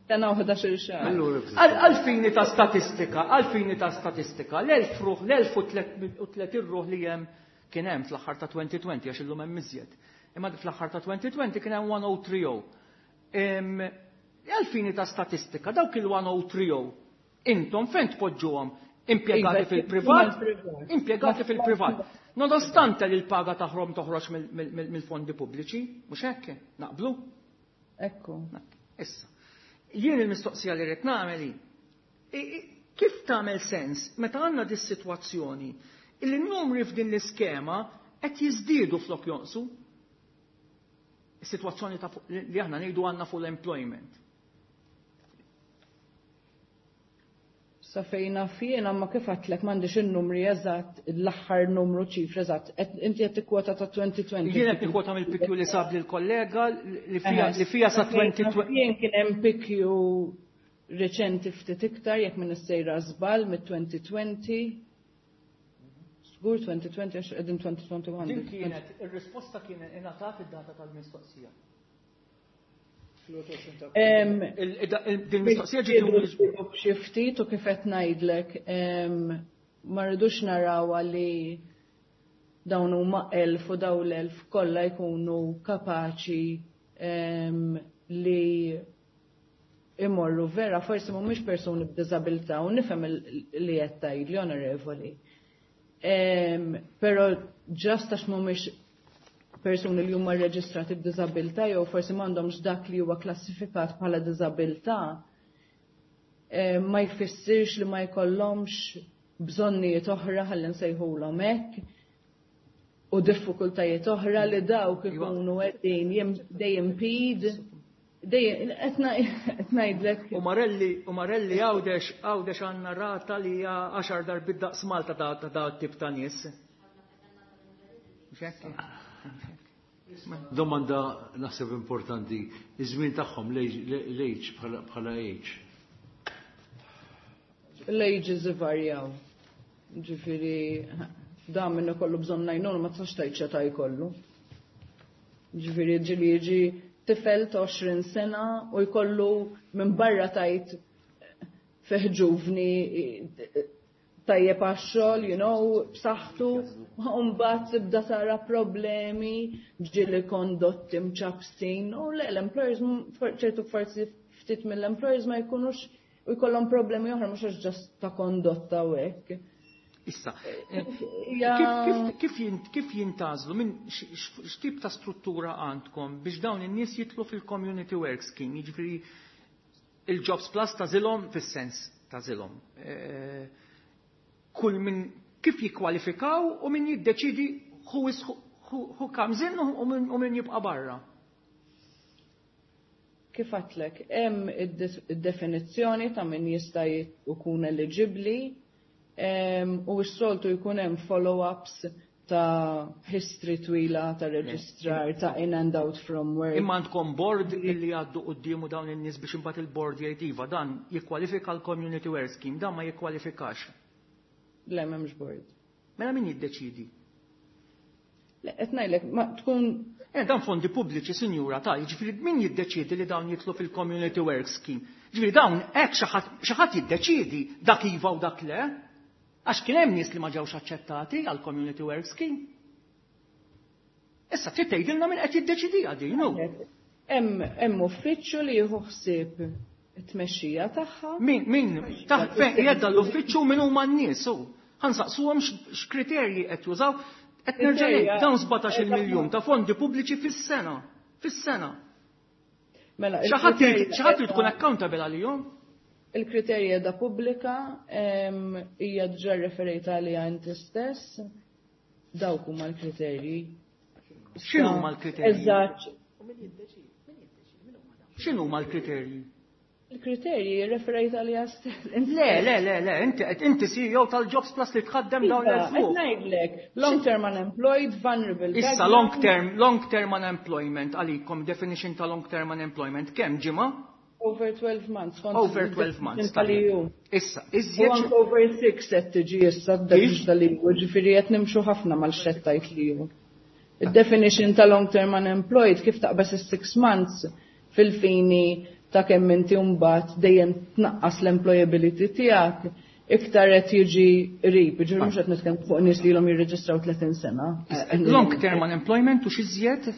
Sena u ħdax-il xahar. Allura, Għal fini ta' statistika, għal fini ta' statistika, l-elf ruħ, l-elf u tletin ruħ li hemm kien hemm fl-aħħar ta' twenty twenty għax illum hemm iżjed. Imma fl-aħħar ta' twenty twenty kien hemm one oh three oh. Għal fini ta' statistika, dawk il-one oh three oh, intom fejn tpoġġuhom? Impjegati fil-privat? Impjegati fil-privat. Nonostante li l-paga taħrom toħroġ mill-fondi pubbliċi, mhux hekk? Naqblu? Ekku. Issa. Jien il-mistoqsija li rrid nagħmel hi, kif tagħmel sens meta għandna dis-sitwazzjoni illi n-numri f'din l-iskema qed jiżdiedu flok jonqsu? Is-sitwazzjoni ta' fuq, li aħna ngħidu għandna full employment. Sa fejn naf jiena, ma kif għedtlek m'għandix in-numri eżatt, l-aħħar numru ċifri eżatt. Inti qed tikkwota ta' twenty twenty. Jien qed nikkwota mill-P Q li sab lill-kollega li fija, li fija sa twenty twenty. Jien kien hemm P Q reċenti ftit iktar jekk minn issejra żball mit-twenty twenty. Żgur twenty twenty, għax qegħdin twenty twenty-one. Din kienet, ir-risposta kienet ingħatat id-data tal-mistoqsija. Em, Il- il- Din mistoqsija ġiet xi ftit u kif qed ngħidlek, em, ma rridux narawha li dawn huma elf u dawn l-elf kollha jkunu kapaċi em, li imorru vera, forsi mhumiex persuni b'diżabilità, u nifhem il- li qed tgħidli, onorevoli. Em, Però just għax mhumiex persuni li huma rreġistrati b'diżabilità jew forsi m'għandhomx dak li huwa klassifikat bħala diżabilità, eh, ma jfissirx li ma jkollhomx bżonnijiet oħra, ħalli nsejħulhom hekk, u diffikultajiet oħra li dawk ikunu qegħdin jim- they impede dejjem qed ngħidlek. U Marelli, u Marelli Għawdex, Għawdex għandna rata li hija għaxar darbit daqs Malta ta' ta' ta' tip ta' nies. Mhux hekk? Domanda naħseb importanti, iż-żmien tagħhom, l-age, bħala bħala age. L-ages ivarjaw. Ġifieri, da minnu kollu bżonn għajnuna ma tistax tgħid x'età jkollu. Ġifieri ġieli jiġi tifel ta' għoxrin sena u jkollu minn barra tajt fih ġuvni tajjeb għax-xogħol, you know, b'saħħtu, u mbagħad tibda tara problemi, ġieli kondotti mċabsin, u le, l-employers, ċertu forsi ftit mill-employers ma jkunux u jkollhom problemi oħra, mhux għax just ta' kondotta u hekk. Issa, Ja- kif, kif, kif, jint- kif jintgħażlu, minn x'tip ta' struttura għandkom biex dawn in-nies jidħlu fil-Community Work Scheme, jiġifieri il-Jobs Plus tagħżilhom fis-sens tagħżilhom. Eh, Kull min kif jikkwalifikaw u min jiddeċidi who is who, who, who comes in u min, u min jibqa' barra? Kif għedtlek, hemm id-definizzjoni ta' min jista' jkun eligibbli em, u s-soltu jkun hemm follow-ups ta' history twila ta' reġistrar ta' in and out from work. Imma għandkom board illi għaddu quddiemu dawn in-nies biex imbagħad il-board jgħid, "Iva, dan jikkwalifika l-Community Work Scheme, dan ma jikkwalifikax"? Le, m'hemmx board. Mela min jiddeċidi? Le, qed ngħidlek, ma tkun Eh, dan fondi pubbliċi, sinjura, ta' jiġifieri min jiddeċidi li dawn jidħlu fil-Community Work Scheme? Ġifieri dawn hekk xi ħadd jiddeċidi dak iva u dak le? Għax kien hemm nies li ma ġewx aċċettati għal Community Work Scheme. Issa trid tgħidilna min qed jiddeċidi din, hu. Hemm hemm uffiċċju li jieħu ħsieb it-tmexxija tagħha. Min min taħt fejn qiegħed l-uffiċċju, min huma n-nies hu? Ħa nsaqsuhom x'kriterji qed jużaw. Qed nerġa' ngħid, dawn sbatax-il miljun ta' fondi pubbliċi fis-sena. Fis-sena. Mela, Xi ħadd irid xi ħadd irid tkun accountable għalihom. Il-kriterji da pubblika, em, hija diġà referejta għaliha inti stess. Dawk huma l-kriterji. X'inhu huma l-kriterji? Eżatt. X'inhu huma l-kriterji? Il-kriterji referejt għaliha stess. Le, le, le, le, inti qed inti C E O tal-Jobs Plus li tħaddem dawn Iva, l-elf. qed ngħidlek, long term unemployed, vulnerable Issa background. long term, long term unemployment għalikom, definition ta' long term unemployment, kemm ġimgħa? Over twelve months. Kont Over twelve months. Tal-E U. Issa, U iżjed anke over six qed tiġi issa d-definition tal-E U, ġifieri qed nimxu ħafna mal-xettajt li hu. Il-definition ta' long term unemployed, kif taqbes is-six months fil-fini ta' kemm inti mbagħad dejjem tnaqqas l-employability tiegħek, iktar qed jiġi qrib, ġifieri mhux qed nitkellem fuq nies li ilhom jirreġistraw tletin sena. Long term unemployment u x'iżjed?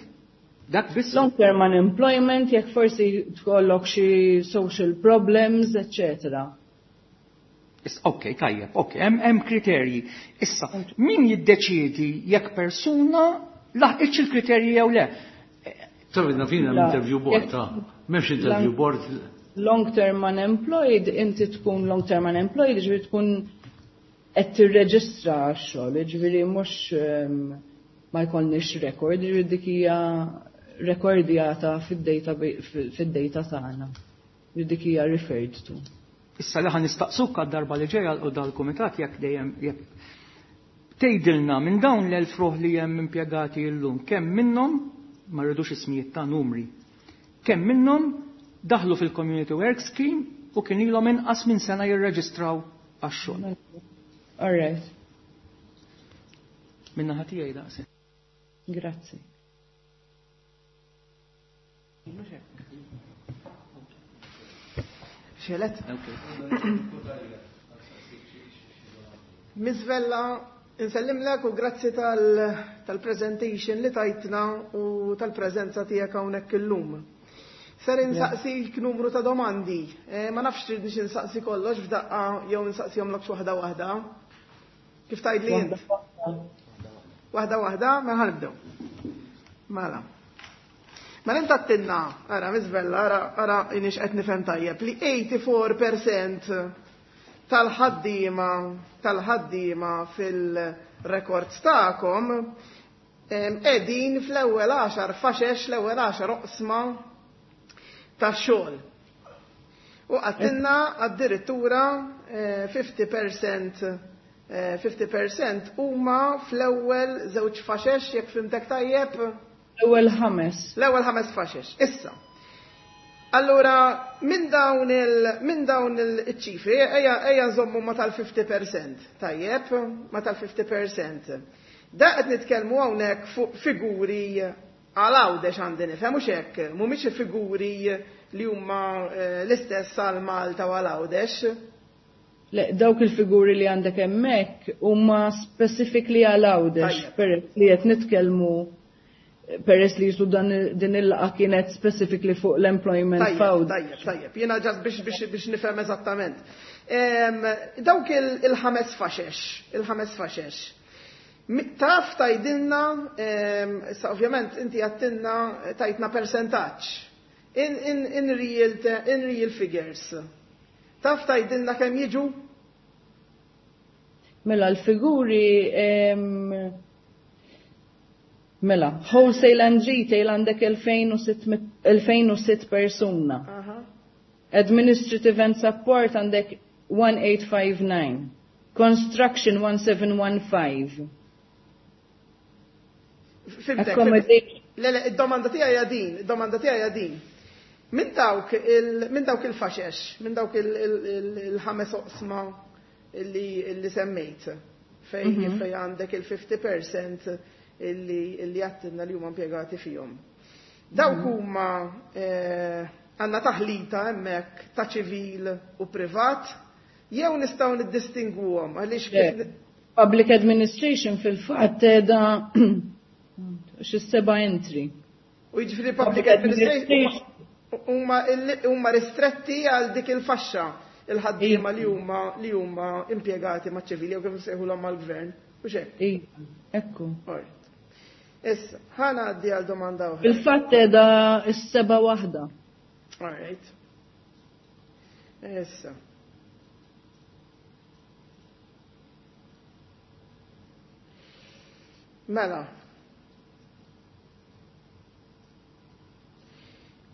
Dak biss? Long term unemployment, jekk forsi tkollok xi social problems, eccetera. Issa, ok, tajjeb, ok, hemm hemm kriterji. Issa, min jiddeċiedi jekk persuna laħqitx il-kriterji jew le? Tafidna fina La, l-interview board, jekk- ta' m'hemmx interview board. Long term unemployed, inti tkun long term unemployed, ġifieri tkun qed tirreġistra għax-xogħol, ġifieri mhux ehm, ma jkollniex record, ġifieri dik hija rekordjata fid-data fid-data tagħna. Ġifieri dik hija referred to. Issa li ħa nistaqsuk għad-darba li ġejja u dal-kumitat, jekk dejjem jekk tgħidilna minn dawn l-elf ruħ li hemm impjegati llum, kemm minnhom, ma rridux ismijiet, ta' numri, kemm minnhom daħlu fil-Community Work Scheme u kien ilhom inqas minn sena jirreġistraw għax-xogħol? All right. Min-naħa tiegħi daqshekk. Grazzi. Xelet? Miss Vella, insellimlek u grazzi tal-presentation li tajtna u tal-preżenza tiegħek hawnhekk illum. Ser insaqsik numru ta' domandi. Ma nafx tridnix insaqsi kollox f'daqqa jew insaqsihomlok waħda waħda. Kif tgħidli int? Waħda waħda, mela ħa nibdew. Mela. Mela int għedtilna, ara Miss Vella, ara ara inix qed nifhem tajjeb li eighty-four percent tal-ħaddiema tal-ħaddiema fil-records tagħkom qegħdin fl-ewwel għaxar faxex, l-ewwel għaxar oqsma tax-xogħol. U għedtilna addirittura fifty percent fifty percent huma fl-ewwel żewġ faxex, jekk fimtek tajjeb? L-ewwel ħames. L-ewwel ħames faxex. Issa. Allura, minn dawn il, minn dawn il-ċifri, ejja, ejja nżommu ma tal-fifty percent, tajjeb, ma tal-fifty percent. Da qed nitkellmu hawnhekk fuq figuri għal Għawdex għandi nifhem, mhux hekk, mhumiex figuri li huma l-istess għal Malta u għal Għawdex. Le, dawk il-figuri li għandek hemmhekk huma specifically għal Għawdex, peress li qed nitkellmu, peress li jisu dan din il-laqgħa kienet specifically fuq l-employment Tajjeb, f'Għawdex. tajjeb, tajjeb. Jiena ġast biex, biex, biex nifhem eżattament. Dawk il-ħames faxex, il-ħames faxex. Taf tajdilna, issa ovvjament inti għattilna tajtna percentaġġ. In, in, in real, in real figures. Taf tajdilna kemm jiġu? Mela l-figuri, mela, wholesale and retail għandek elfejn u sitt persuna. Aha. Administrative and support għandek one eight five nine. Construction one seven one five. Fimtek, Accommodation. Le, le, id-domanda tiegħi hija din, id-domanda tiegħi hija din. Min dawk il, min dawk il-faxex, min dawk il-ħames oqsma illi, illi semmejt, fej, Mhm. fej għandek il-fifty percent illi, illi għattinna li huma impjegati fihom. Dawk Mhm. huma, eh, għandna taħlita hemmhekk ta' ċivil u privat, jew nistgħu niddistingwuhom għaliex Le, kif ni- Public administration fil-fatt da xi seba' entry. U jiġifieri public Public administration administration huma il-, huma ristretti għal dik il-faxxa il-ħaddiema li huma, li huma impjegati maċ-ċivili jew kif insejħulhom mal-gvern. U x'hekk? Iva, ekku. Alright. Issa, ħa ngħaddi għal domanda oħra. Fil-fatt da s-seba' waħda. Alright. Issa. Mela.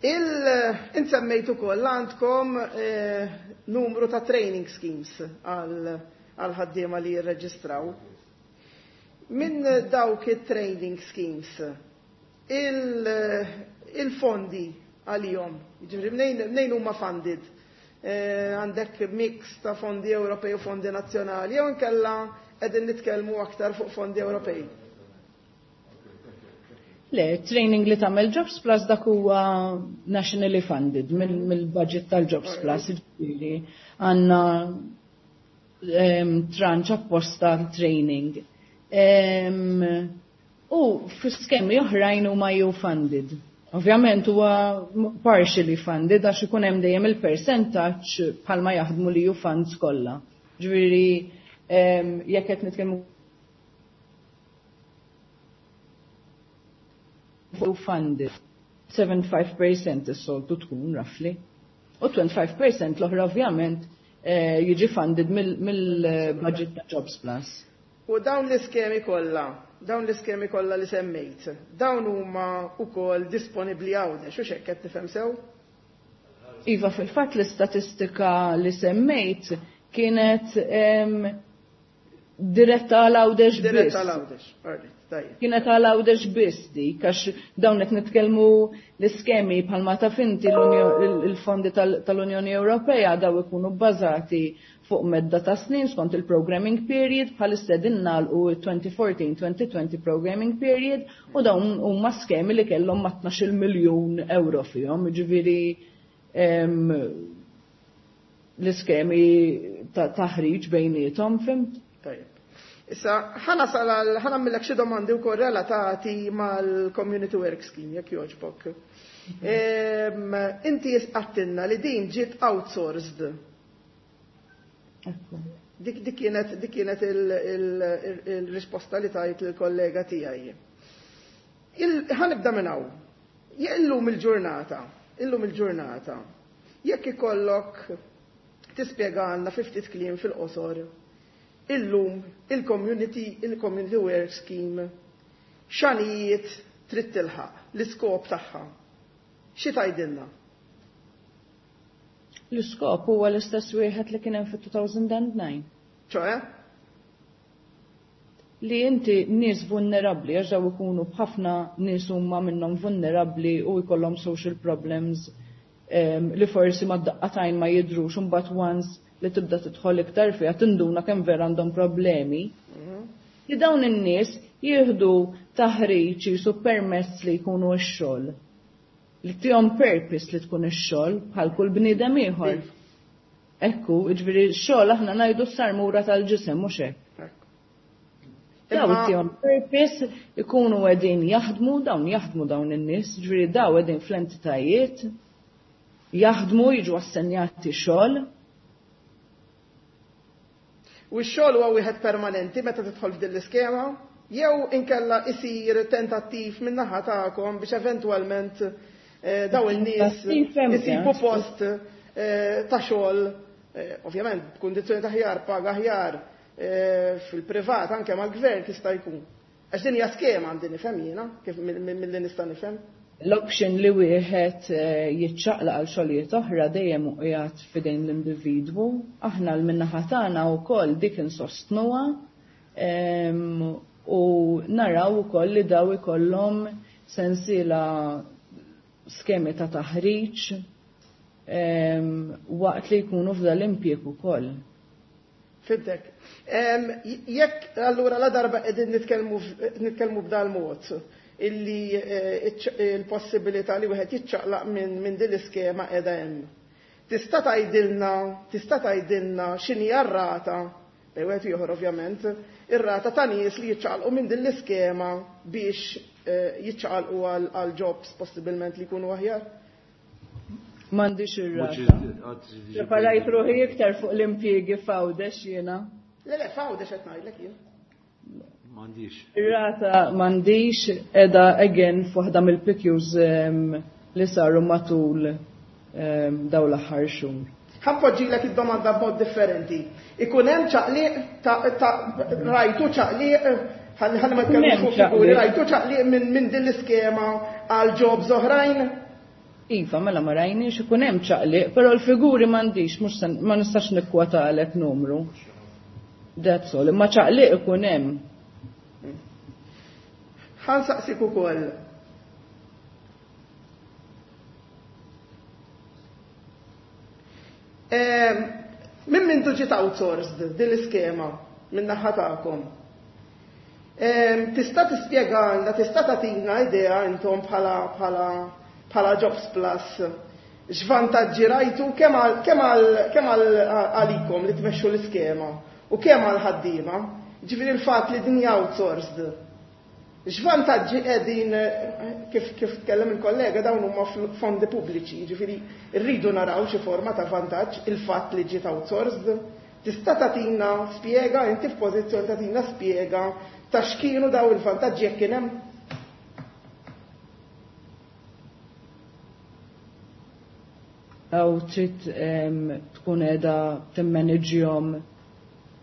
Il-insemmejtu ukoll għandkom, eh, numru ta' training schemes għal, għal ħaddiema li jirreġistraw. Minn dawk it-training schemes, il, il-fondi għalihom, jiġifieri mnejn, mnejn huma funded? Eh, għandek mix ta' fondi Ewropej u fondi nazzjonali, jew inkella qegħdin nitkellmu aktar fuq fondi Ewropej? Le, training li tagħmel Jobs Plus dak huwa nationally funded mill-, mill-budget tal-Jobs Plus, jiġifieri għandna, ehm, tranche apposta training. Ehm, u fi skemi oħrajn huma E U funded. Ovvjament huwa partially funded għax ikun hemm dejjem il-percentaġġ bħalma jaħdmu l-E U funds kollha. Ġifieri, ehm, jekk qed nitkellmu fuq funded seventy-five percent is-soltu tkun roughly. U twenty-five percent l-oħra ovvjament, eh, jiġi funded mill-, mill-budget ta' Jobs Plus. U dawn l-iskemi kollha, dawn l-iskemi kollha li semmejt, dawn huma wkoll disponibbli Għawdex, u x'hekk qed nifhem sew? Iva, fil-fatt l-istatistika li semmejt kienet, em, Diretta għal Għawdex biss. Diretta għal Għawdex, alright, tajjeb. Kienet għal Għawdex biss dik, għax dawn qed nitkellmu l-iskemi bħalma taf inti l-fondi tal-Unjoni Ewropea daw ikunu bbażati fuq medda ta' snin skont il-programming period, bħalissa qegħdin nagħlqu twenty fourteen twenty twenty programming period, u dawn huma skemi li kellhom ma' tnax-il miljun euro fihom, jiġifieri l-iskemi ta' taħriġ bejniethom, fimt? Tajjeb. Issa, ħa nasal għal, ħa nagħmillek xi domandi wkoll relatati mal-Community Work Scheme, jekk jogħġbok. Inti għattinna li din ġiet outsourced. Dik, dik kienet, dik kienet il-risposta li tajt il-kollega tiegħi. Ħa nibda minn hawn. Illum il-ġurnata, illum il-ġurnata, jekk ikollok tispjegalna fi ftit kliem fil-qosor, illum il-community, il-community work scheme x'għanijiet trid tilħaq, l-iskop tagħha. Xi tgħidilna? L-iskop huwa l-istess wieħed li kien hemm fit-two thousand and nine. ċoe? Li inti nies vulnerabbli, għax daw ikunu b'ħafna nies huma minnhom vulnerabbli u jkollhom social problems, em, li forsi ma daqqatajn ma jidrux, u mbagħad once li tibda tidħol iktar fiha tinduna kemm vera għandhom problemi. Li dawn in-nies jieħdu taħriġ jisu permess li jkunu x-xogħol. Li tihom purpose li tkun ix-xogħol bħal kull bniedem ieħor. Ekku, jiġifieri x-xogħol aħna ngħidu s-sarmura tal-ġisem mhux hekk. Daw tihom purpose ikunu qegħdin jaħdmu, dawn jaħdmu dawn in-nies, jiġifieri daw qegħdin fl-entitajiet, jaħdmu, jiġu assenjati xogħol. U x-xogħol huwa wieħed permanenti meta tidħol f'din l-iskema, jew inkella isir tentattiv min-naħa tagħkom biex eventwalment, eh, daw in-nies Tentattiv hemm, isibu ja. post, eh, ta' xogħol, eh, ovvjament b'kundizzjoni ta' aħjar, paga aħjar, eh, fil-privat anke mal-gvern tista' jkun. Għax din hija skema għandi nifhem jiena, kif mill-, mill-, mill-li nista' nifhem. L-option li wieħed, eh, jiċċaqlaq għal xogħlijiet oħra dejjem qiegħed f'idejn l-individwu. Aħna l-minnaħa tagħna wkoll dik insostnuha, ehm, u naraw ukoll li daw ikollhom sensiela skemi ta' taħriġ, ehm, waqt li jkunu f'dan l-impjieg ukoll. Fidek. Ehm, jekk allura la darba qegħdin nitkellmu f-, nitkellmu b'dal mod illi, eh, iċ-, il-possibilità li wieħed jiċċaqlaq minn, minn din l-iskema qiegħda hemm. Tista' tgħidilna, tista' tgħidilna x'inhi r-rata, bejn wieħed ieħor ovvjament, ir-rata ta' nies li jiċċaqlqu minn din l-iskema biex, eh, jiċċaqlqu għal, għal jobs possibilment li jkunu aħjar? M'għandix ir-rata. Mhux iż-, għad iż-, Preparajt ruħi iktar fuq l-impjiegi f'Għawdex jiena. Le, le, f'Għawdex qed ngħidlek jien. M'għandix. Ir-rata m'għandix, qiegħda again f'waħda mill-P Qs, ehm, li saru matul, ehm, dawn l-aħħar xhur. Ħanpoġġilek id-domanda b'mod differenti. Ikun hemm ċaqliq ta', ta' rajtu ċaqliq, ħalli, ħalli ma Ikun tkellmux hemm fuq figuri, ċaqliq. rajtu ċaqliq minn, minn din l-iskema għal jobs oħrajn? Iva, mela ma rajniex ikun hemm ċaqliq, però l-figuri m'għandix, mhux se, ma nistax nikkwotalek numru. That's all, imma ċaqliq ikun hemm. Ħansaqsik ukoll. Ehm, minn mindu ġiet outsourced din l-iskema minn naħa tagħkom? Ehm, tista' tispjegalna, tista' tagħtina idea intom bħala, bħala, bħala Jobs Plus x'vantaġġi rajtu kemm għal, kemm għal, kemm għal, għalikom li tmexxu l-iskema u kemm għal ħaddiema, ġifieri l-fatt li din hija outsourced. X'vantaġġi qegħdin, kif, kif tkellem il-kollega, dawn huma fl-, fondi pubbliċi, ġifieri rridu naraw xi forma ta' vantaġġ il-fatt li ġiet outsourced. Tista' tagħtina spjega, inti f'pożizzjoni tagħtina spjega ta' x'kienu daw il-vantaġġi jekk kien hemm? Aw trid, ehm, tkun qiegħda timmanagġihom,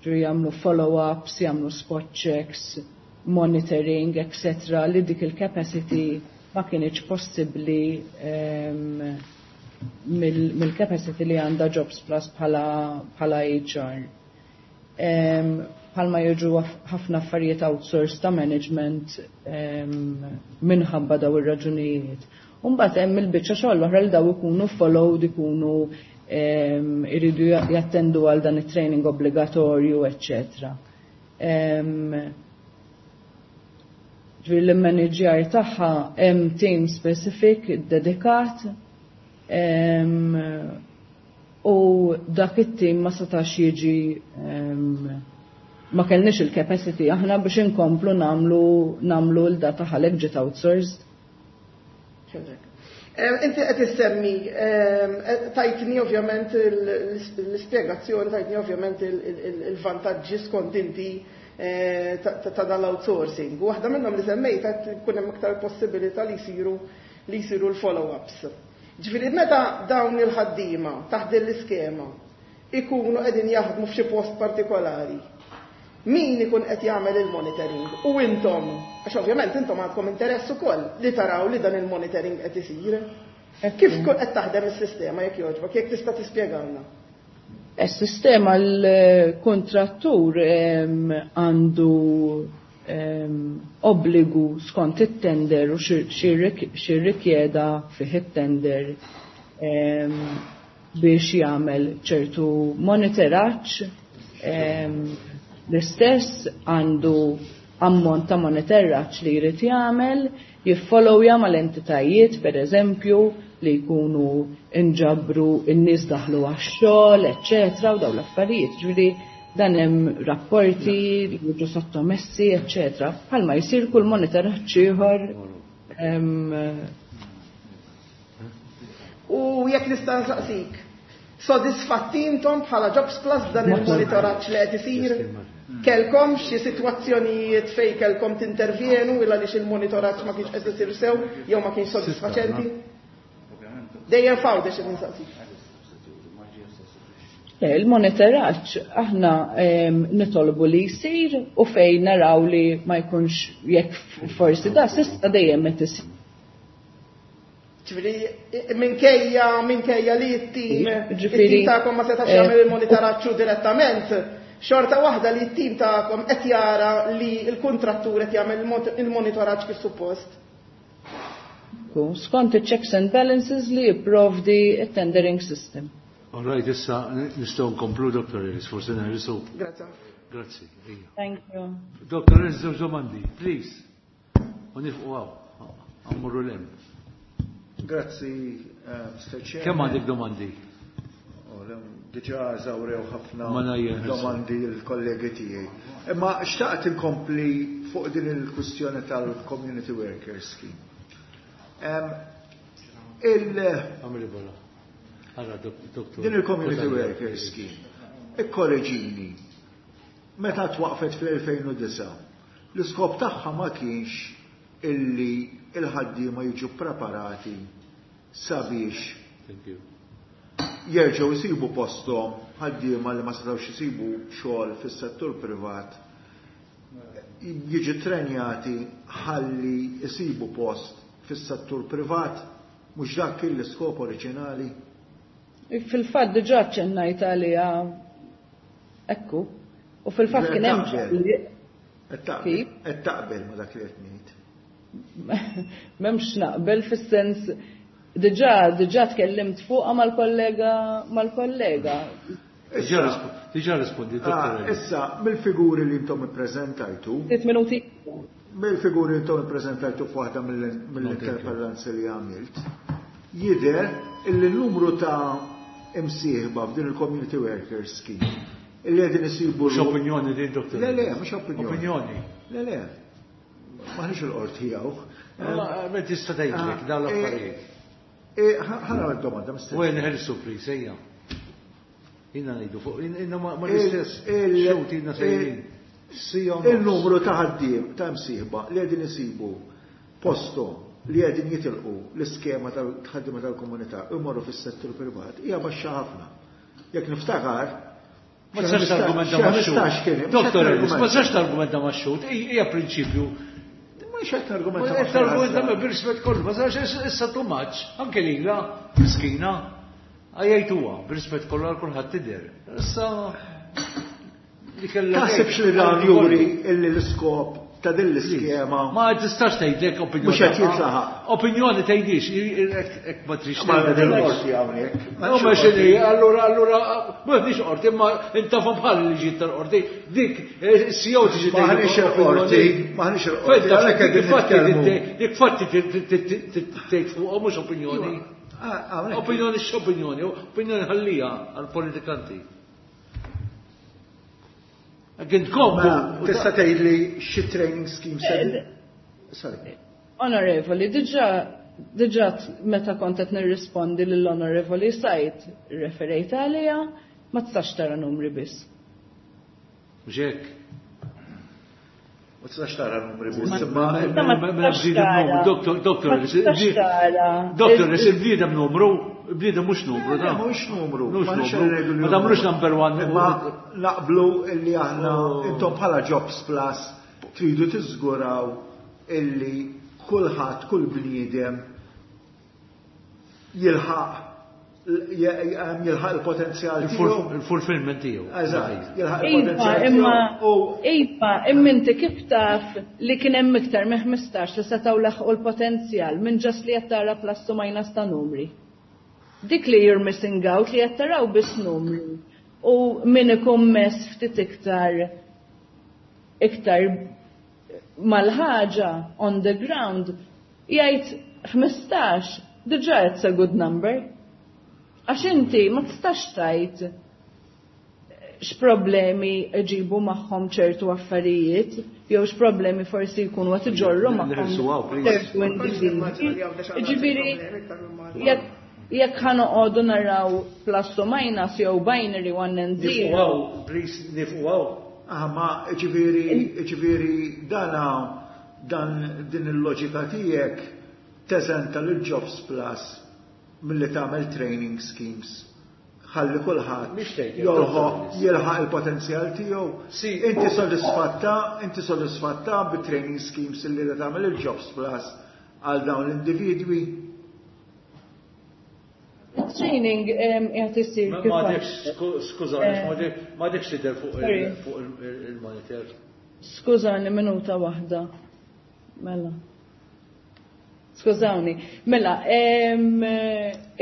ġifieri jagħmlu follow-ups, jagħmlu spot checks, monitoring, et cetera, li dik il-capacity ma kienx possibbli, ehm, mill-, mill-capacity li għandha Jobs Plus bħala, bħala H R. Ehm, Bħalma jiġu ħafna affarijiet outsource ta' management minħabba daw ir-raġunijiet. Umbagħad hemm il-biċċa xogħol l-oħra li daw ikunu followed, ikunu iridu jattendu għal dan it-training obbligatorju, eċċetera. Ġifieri l-manager tagħha hemm team specific dedikat u dak it-team ma setax jiġi, ma kellniex il-capacity aħna biex inkomplu namlu namlu l-data ħalek ġiet outsourced. Inti qed issemmi, tajtni ovvjament l-ispjegazzjoni, tajtni ovvjament il-vantaġġi skont inti ta' dal-outsourcing. U waħda minnhom li semmejt qed ikun hemm iktar possibilità li jsiru li jsiru l-follow-ups. Ġifieri meta dawn il-ħaddiema taħt din l-iskema ikunu qegħdin jaħdmu f'xi post partikolari, min ikun qed jagħmel il-monitoring? U intom, għax ovvjament intom għandkom interess ukoll li taraw li dan il-monitoring qed isir. Kif qed taħdem is-sistema jekk jogħġbok, jekk tista' tispjegalna? Is-sistema l-kontrattur għandu obbligu skont it-tender u xirrikjeda fih it-tender biex jagħmel ċertu monitoraġġ. L-istess għandu ammont ta' monitoraġġ li jrid jagħmel, jiffollowja mal-entitajiet, per eżempju, li jkunu inġabru n-nies daħlu għax-xogħol, eċċetera, u dawn l-affarijiet. Ġifieri dan hemm rapporti li jiġu sottomessi, eċċetera. Bħalma jsir kull monitoraġġ ieħor. U jekk nista' nsaqsik, sodisfatti intom bħala Jobs Plus dan il-monitoraġġ li qed isir? Kelkom xi sitwazzjonijiet fejn kelkom tintervjenu illa għaliex il-monitoraġġ ma kienx qed isir sew jew ma kienx sodisfaċenti? Dejjem fawdex qed insaqsik. Il-monitoraġġ aħna nitolbu li jsir u fejn naraw li ma jkunx jekk forsi da s'issa dejjem qed isir. Ġifieri minkejja minkejja li t-tim it-tim tagħkom ma setax jagħmel il-monitoraġġ direttament, xorta waħda li t-tim tagħkom qed jara li l-kuntrattur qed jagħmel il-monitoraġġ kif suppost. Skont il-checks and balances li jipprovdi it-tendering system. All right, issa nistgħu nkomplu, Doctor Ellis, forsi neħilsu. Grazie. Grazzi. Thank you. Doctor Ellis, żewġ domandi, please. U nifqu hawn, għammurru l-hemm. Grazzi, Mister Chair. Kemm għandek domandi? Diġà żawrew ħafna domandi l-kollegi tiegħi. Imma xtaqt inkompli fuq din il-kwistjoni tal-Community Workers Scheme. Il Din il-Community Workers Scheme, ikkoreġini, meta twaqfet fl-elfejn u disgħa, l-iskop tagħha ma kienx illi il-ħaddiema jiġu preparati sabiex jerġgħu jsibu posthom ħaddiema li ma setgħux isibu xogħol fis-settur privat, jiġu trenjati ħalli jsibu post fis-settur privat, mhux dak kien l-iskop oriġinali. Fil-fatt diġà ċennajt għaliha ekku, u fil-fatt kien hemm qed taqbel ma dak li qed ngħid. M'hemmx naqbel fis-sens diġà diġà tkellimt fuqha mal-kollega mal-kollega. Diġà rispondi, Dottor. Issa mill-figuri li intom ippreżentajtu. Sitt minuti. Mill-figuri li intom ippreżentajtu f'waħda mill-interpellanzi li għamilt, jidher illi n-numru ta' imsieħba f'din il-Community Workers Scheme illi qegħdin isibu. Mhux opinjoni din, Dottor. Le, le, mhux opinjoni. Opinjoni. Le, le. Maħniex il-qorti hawn. Ma tista' tgħidlek dawn l-affarijiet. Ħana domanda mister. Wen ħelsu please, ejja. Inna ngħidu fuq, inna ma l-istess xewt inna sejrin. Il-numru ta' ħaddiem ta' msieħba li qegħdin isibu posthom li qegħdin jitilqu l-iskema tal-ħaddiema tal-komunità imorru fis-settur privat hija baxxa ħafna. Jekk niftakar, ma tistax targumenta max-xhud. Doktor Ellis, ma tistax targumenta max-xhud, hija prinċipju. Mhux qed targumenta. Ma targumenta bir-rispett kollu, ma tistax issa too much, anke lilha miskina għajjajtuha bir-rispett kollu għal kulħadd tidher. Issa Taħsibx li dan juri illi l-iskop ta' din l-iskema. Ma tistax tgħidlek opinjoni. Mhux qed jintlaħaq. Opinjoni tgħidix, hekk ma trix Ma qorti hawnhekk. Ma x'inhi, allura allura m'għandniex qorti, imma intafhom bħal liġijiet tal-qorti. Dik is-C E O tiġi tgħid. M'aħniex il-qorti, m'aħniex il-qorti. Dik fatti tgħid fuqhom, mhux opinjoni. Opinjoni x'opinjoni, opinjoni ħallija għall-politikanti. Għindkom. Tista' tgħidli xi training scheme se. Sorry. Onorevoli, diġà diġà meta kont qed nirrispondi lill-Onorevoli Sajt referejt għalija, ma tistax tara numri biss. Mhux hekk. Ma tistax tara numri biss. Ma Doktor, doktor, doktor, il-bniedem numru, bniedem mhux numru, da. Mhux numru. Mhux numru. Ma tagħmlux number one. Ma naqblu illi aħna intom bħala Jobs Plus tridu tiżguraw illi kulħadd, kull bniedem jilħaq jilħaq il-potenzjal tiegħu. Il-fulfillment tiegħu. Eżatt, jilħaq il-potenzjal Imma iva, imma inti kif taf li kien hemm iktar minn ħmistax li setgħu laħqu l-potenzjal minn just li qed tara plus u minus ta' numri? Dik li you're missing out, li qed taraw biss numri. U min ikun mess ftit iktar iktar mal-ħaġa on the ground jgħid ħmistax diġà it's a good number. Għax inti ma tistax tgħid x'problemi ġibu magħhom ċertu affarijiet jew x'problemi forsi jkunu qed iġorru magħhom ċertu individwi. Ġifieri jekk jekk ħa noqogħdu naraw plus u minus jew binary one and zero. Please, nifqu. Ah, ma ġifieri ġifieri dana dan din il-loġika tiegħek teżenta lil Jobs Plus milli tagħmel training schemes ħalli kulħadd jilħaq il-potenzjal tiegħu. Inti sodisfatta, inti sodisfatta bit-training schemes li tagħmel il-Jobs Plus għal dawn l-individwi? Training qed isir kif. M'għadekx, skużani, m'għadekx tidher fuq il-monitor. Skużani, minuta waħda. Mela. Skużawni. Mela,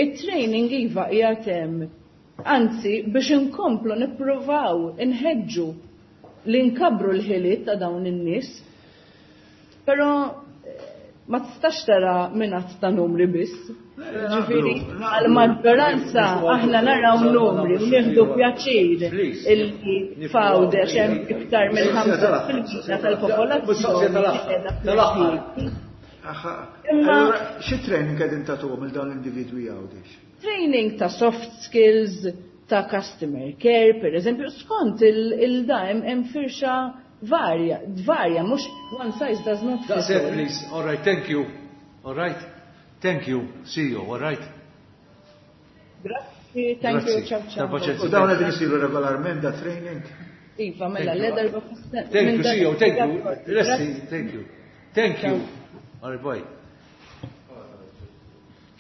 it-training iva qiegħed hemm. Anzi, biex inkomplu nippruvaw inħeġġu li nkabru l-ħiliet ta' dawn in-nies. Però ma tistax tara minn ta' numri biss. Ġifieri, għal-maġġoranza aħna naraw numri u nieħdu pjaċir illi f'Għawdex hemm iktar minn ħamsa fil-mija tal-popolazzjoni. Imma xi training qegħdin tagħtuhom il dawn l-individwi Għawdex? Training ta' soft skills, ta' customer care, per eżempju, skont il-da hemm firxa varja, varja, mhux one size does not fit. That's it, please. All right, thank you. All right. Thank you. See you, all right? Grazzi, thank you, ciao ciao. U dawn qegħdin isiru regolarment da training? Iva, mela, l darba. Thank you, see you, thank you. Grazzi, thank you. Thank you. All right, bye.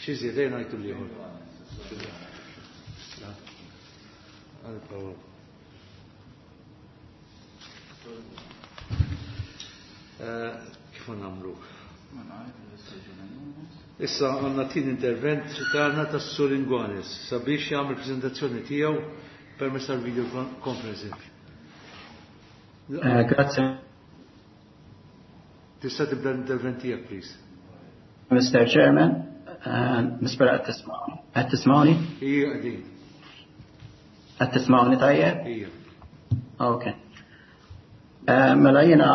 Xi żied ngħidu l-ieħor. Għal Kif nagħmlu? Issa għandna tin intervent tagħna tas-Sur Inguanes sabiex jagħmel preżentazzjoni tiegħu permezz tal-video conferencing. Grazie. Tista' tibda l-intervent tiegħek, please. Mister Chairman, nispera qed tismawni. Qed tismawni? Ija, qegħdin. Qed tismawni tajjeb? Ija. Okay. Mela jiena,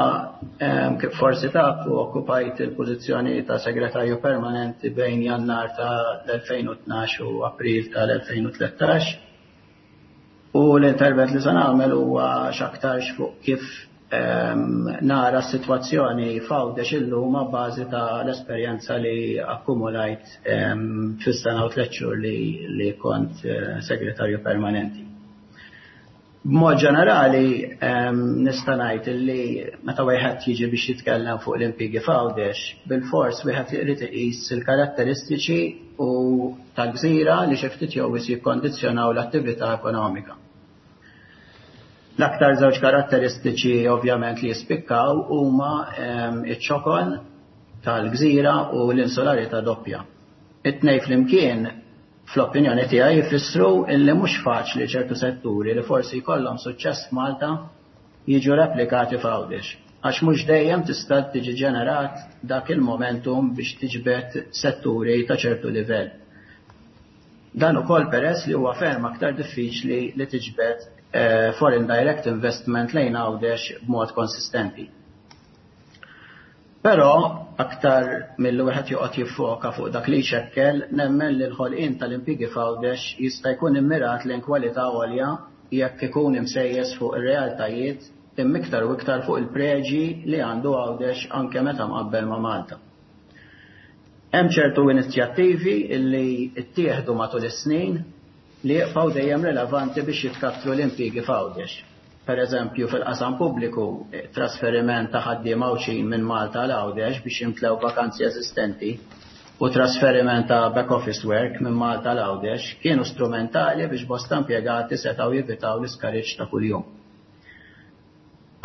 kif forsi tafu, okkupajt il-pożizzjoni ta' segretarju permanenti bejn Jannar ta' l-elfejn u tnax u April tal-elfejn u tlettax. U l-intervent li se nagħmel huwa x'aktarx fuq kif nara s-sitwazzjoni f'Għawdex illum ma' bażi ta' l-esperjenza li akkumulajt fis-sena u tliet xhur li, li kont segretarju permanenti. B'mod ġenerali nista' ngħid li meta wieħed jiġi biex jitkellem fuq l-impjiegi f'Għawdex, bil-fors wieħed irid iqis il-karatteristiċi u tal-gżira li xi ftit jew jikkondizzjonaw l-attività ekonomika. L-aktar żewġ karatteristiċi ovvjament li jispikkaw huma iċ-ċokon tal-gżira u l-insularità doppja. It-tnejn flimkien fl-opinjoni tiegħi jfissru illi mhux faċli ċertu setturi li forsi jkollhom suċċess f'Malta jiġu replikati f'Għawdex, għax mhux dejjem tista' tiġi ġenerat dak il-momentum biex tiġbed setturi ta' ċertu livell. Dan ukoll peress li huwa ferm aktar diffiċli li tiġbed eh, foreign direct investment lejn Għawdex b'mod konsistenti. Però aktar milli wieħed joqgħod jiffoka fuq dak li jxekkel, nemmen li l-ħolqien tal-impjiegi f'Għawdex jista' jkun immirat lejn kwalità għolja jekk ikun imsejjes fuq ir-realtajiet imma iktar u iktar fuq il-preġi li għandu Għawdex anke meta mqabbel ma' Malta. Hemm ċertu inizjattivi illi ttieħdu matul is-snin li jibqgħu dejjem rilevanti biex jitkattru l-impjiegi f'Għawdex. Per eżempju, fil-qasam pubbliku, trasferiment ta' ħaddiema Għawdxin minn Malta għal Għawdex biex jimtlew vakanzi eżistenti u trasferiment ta' back office work minn Malta għal Għawdex kienu strumentali biex bosta impjegati setgħu jevitaw l-iskariġġ ta' kuljum.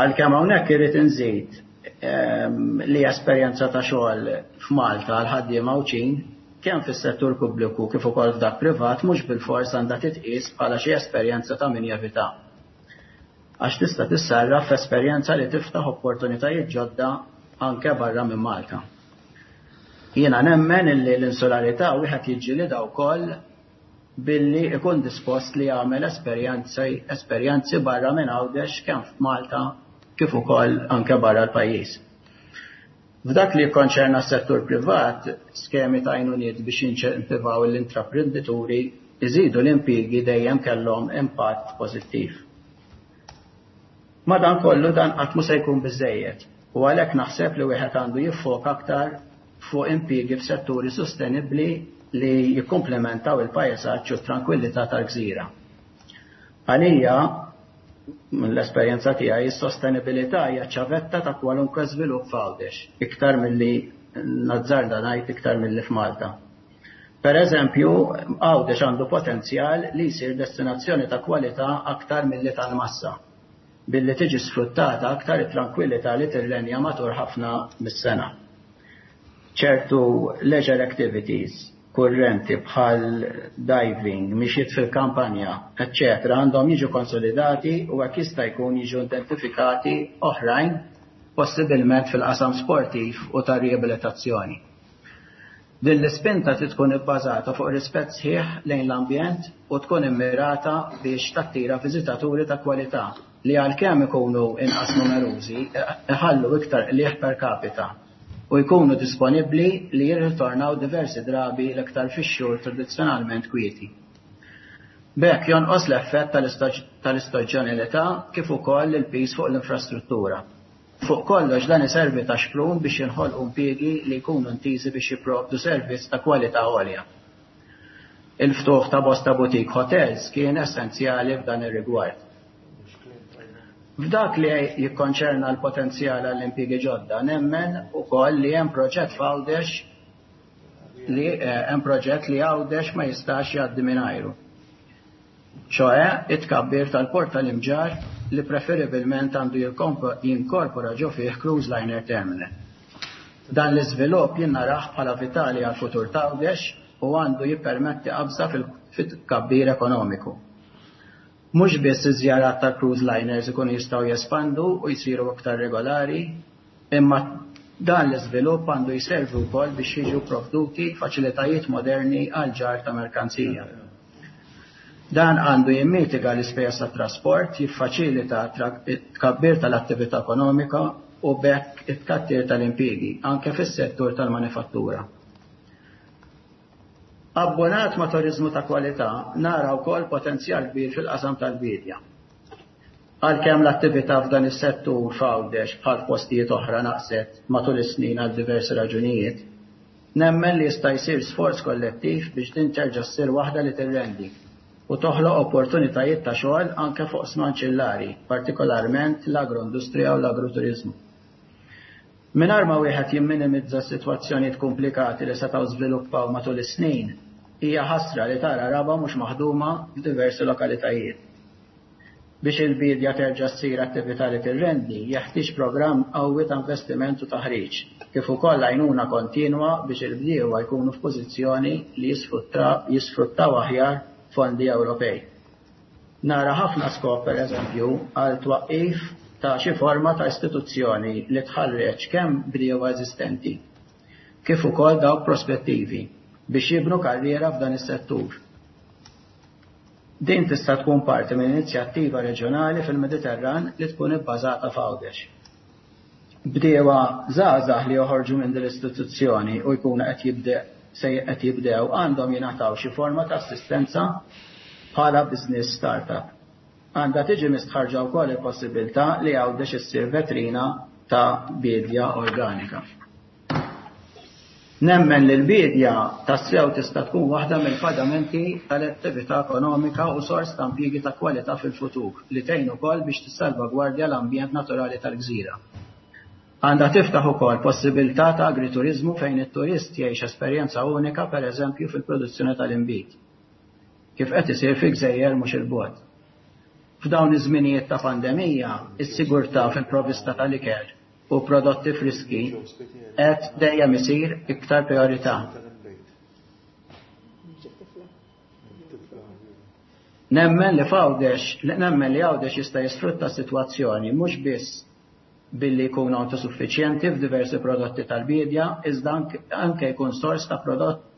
Għalkemm hawnhekk irrid inżid ehm, li esperjenza ta' xogħol f'Malta għal ħaddiema Għawdxin kemm fis-settur pubbliku kif ukoll f'dak privat mhux bilfors għandha titqies bħala xi esperjenza ta' min jevita. Għax tista' tissarraf f'esperjenza li tiftaħ opportunitajiet ġodda anke barra minn Malta. Jiena nemmen illi l-insularità wieħed jiġġielidha wkoll billi ikun dispost li jagħmel esperjenzi esperjenzi barra minn Għawdex kemm f'Malta kif ukoll anke barra l-pajjiż. F'dak li jikkonċerna s-settur privat, skemi ta' għajnuniet biex jinċentivaw l-intraprendituri iżidu l-impjiegi dejjem kellhom impatt pożittiv. Madankollu dan qatt mhu se jkun biżejjed u għalhekk naħseb li wieħed għandu jiffoka aktar fuq impjiegi f'setturi sostenibbli li jikkumplementaw il-pajsaġġ u t-trankwillità tal-gżira. Għalija, mill-esperjenza tiegħi, is-sostenibilità hija ċavetta ta' kwalunkwe żvilupp f'Għawdex, iktar milli nazzarda ngħid iktar milli f'Malta. Per eżempju, Għawdex għandu potenzjal li jsir destinazzjoni ta' kwalità aktar milli tal-massa, billi tiġi sfruttata aktar it-trankwillità li tirrenja matul ħafna mis-sena. Ċertu leisure activities kurrenti bħal diving, mixjiet fil-kampanja, eccetera, għandhom jiġu konsolidati u hekk jista' jkun jiġu identifikati oħrajn possibilment fil-qasam sportiv u ta' riabilitazzjoni. Din l-ispinta trid tkun ibbażata fuq rispett sħiħ lejn l-ambjent u tkun immirata biex tattira viżitaturi ta' kwalità li għalkemm ikunu inqas numerużi iħallu iktar qligħ per capita u jkunu disponibbli li jirritornaw diversi drabi l-iktar fix-xhur tradizzjonalment kwieti. B'hekk jonqos l-effett tal-istaġjonalità kif ukoll il-piż fuq l-infrastruttura. Fuq kollox dan iservi ta' xprun biex jinħolqu impjiegi li jkunu intiżi biex jipprovdu servizz ta' kwalità għolja. Il-ftuħ ta' bosta boutique hotels kien essenzjali f'dan ir-rigward. F'dak li jikkonċerna l-potenzjal għall-impjiegi ġodda, nemmen ukoll li hemm proġett f'Għawdex li eh, hemm proġett li Għawdex ma jistax jgħaddi mingħajru. ċoè it-tkabbir tal-port tal-Imġarr li preferibilment għandu jinkorpora ġo fih cruise liner terminal. Dan l-iżvilupp jien narah bħala vitali għal futur ta' Għawdex u għandu jippermetti qabża fit-tkabbir ekonomiku. Mhux biss iż-żjarat ta' cruise liners ikunu jistgħu jespandu u jsiru aktar regolari, imma dan l-iżvilupp għandu jservi wkoll biex jiġu provduti faċilitajiet moderni għal ġarr ta' merkanzija. Dan għandu jimmitiga l-ispejjeż tat-trasport, jiffaċilita tkabbir tal-attività ekonomika u b'hekk it-tkattir tal-impjiegi anke fis-settur tal-manifattura. Abbonat ma' turizmu ta' kwalità nara wkoll potenzjal kbir fil-qasam tal-bidja. Għalkemm l-attività f'dan is-settur f'Għawdex bħal postijiet oħra naqset matul is-snin għal diversi raġunijiet, nemmen li jista' jsir sforz kollettiv biex din terġa' ssir waħda li tirrendi u toħloq opportunitajiet ta' xogħol anke fuq oqsma anċillari, partikolarment l-agroindustrija u l-agroturizmu. Mingħajr ma wieħed jimminimizza s-sitwazzjonijiet komplikati li setgħu żviluppaw matul is-snin, hija ħasra li tara raba mhux maħduma f'diversi lokalitajiet. Biex il-bidja terġa' ssir attività li tirrendi, jeħtieġ programm qawwi ta' investiment u taħriġ, kif ukoll għajnuna kontinwa biex il-bdiewa jkunu f'pożizzjoni li jisfruttaw aħjar fondi Ewropej. Nara ħafna skop, per eżempju, għal twaqqif ta' xi forma ta' istituzzjoni li tħarreġ kemm bdiewa eżistenti, kif ukoll dawk prospettivi biex jibnu karriera f'dan is-settur. Din tista' tkun parti minn inizjattiva reġjonali fil-Mediterran li tkun ibbażata f'Għawdex. Bdiewa żgħażagħ li joħorġu minn din l-istituzzjoni u jkunu qed jibdew se qed jibdew għandhom jingħataw xi forma ta' assistenza bħala business startup. Għandha tiġi mistħarġa wkoll il-possibilità li Għawdex issir vetrina ta' bidja organika. Nemmen li l-bidja tassew tista' tkun waħda mill-fadamenti tal-attività ekonomika u sors ta' impjiegi ta' kwalità fil-futur li tgħin ukoll biex tissalvagwardja l-ambjent naturali tal-gżira. Għandha tiftaħ ukoll possibilità ta' agrituriżmu fejn it-turist jgħix esperjenza unika pereżempju fil-produzzjoni tal-inbid, kif qed isir fi gżejjer mhux il-bogħod. F'dawn iż-żminijiet ta' pandemija, is-sigurtà fil-provvista tal-ikel u prodotti friski qed dejjem isir iktar priorità. Nemmen li f'Għawdex, nemmen li Għawdex jista' jisfrutta s-sitwazzjoni mhux biss billi jkun autosuffiċjenti f'diversi prodotti tal-bidja, iżda anke jkun sors ta' prodotti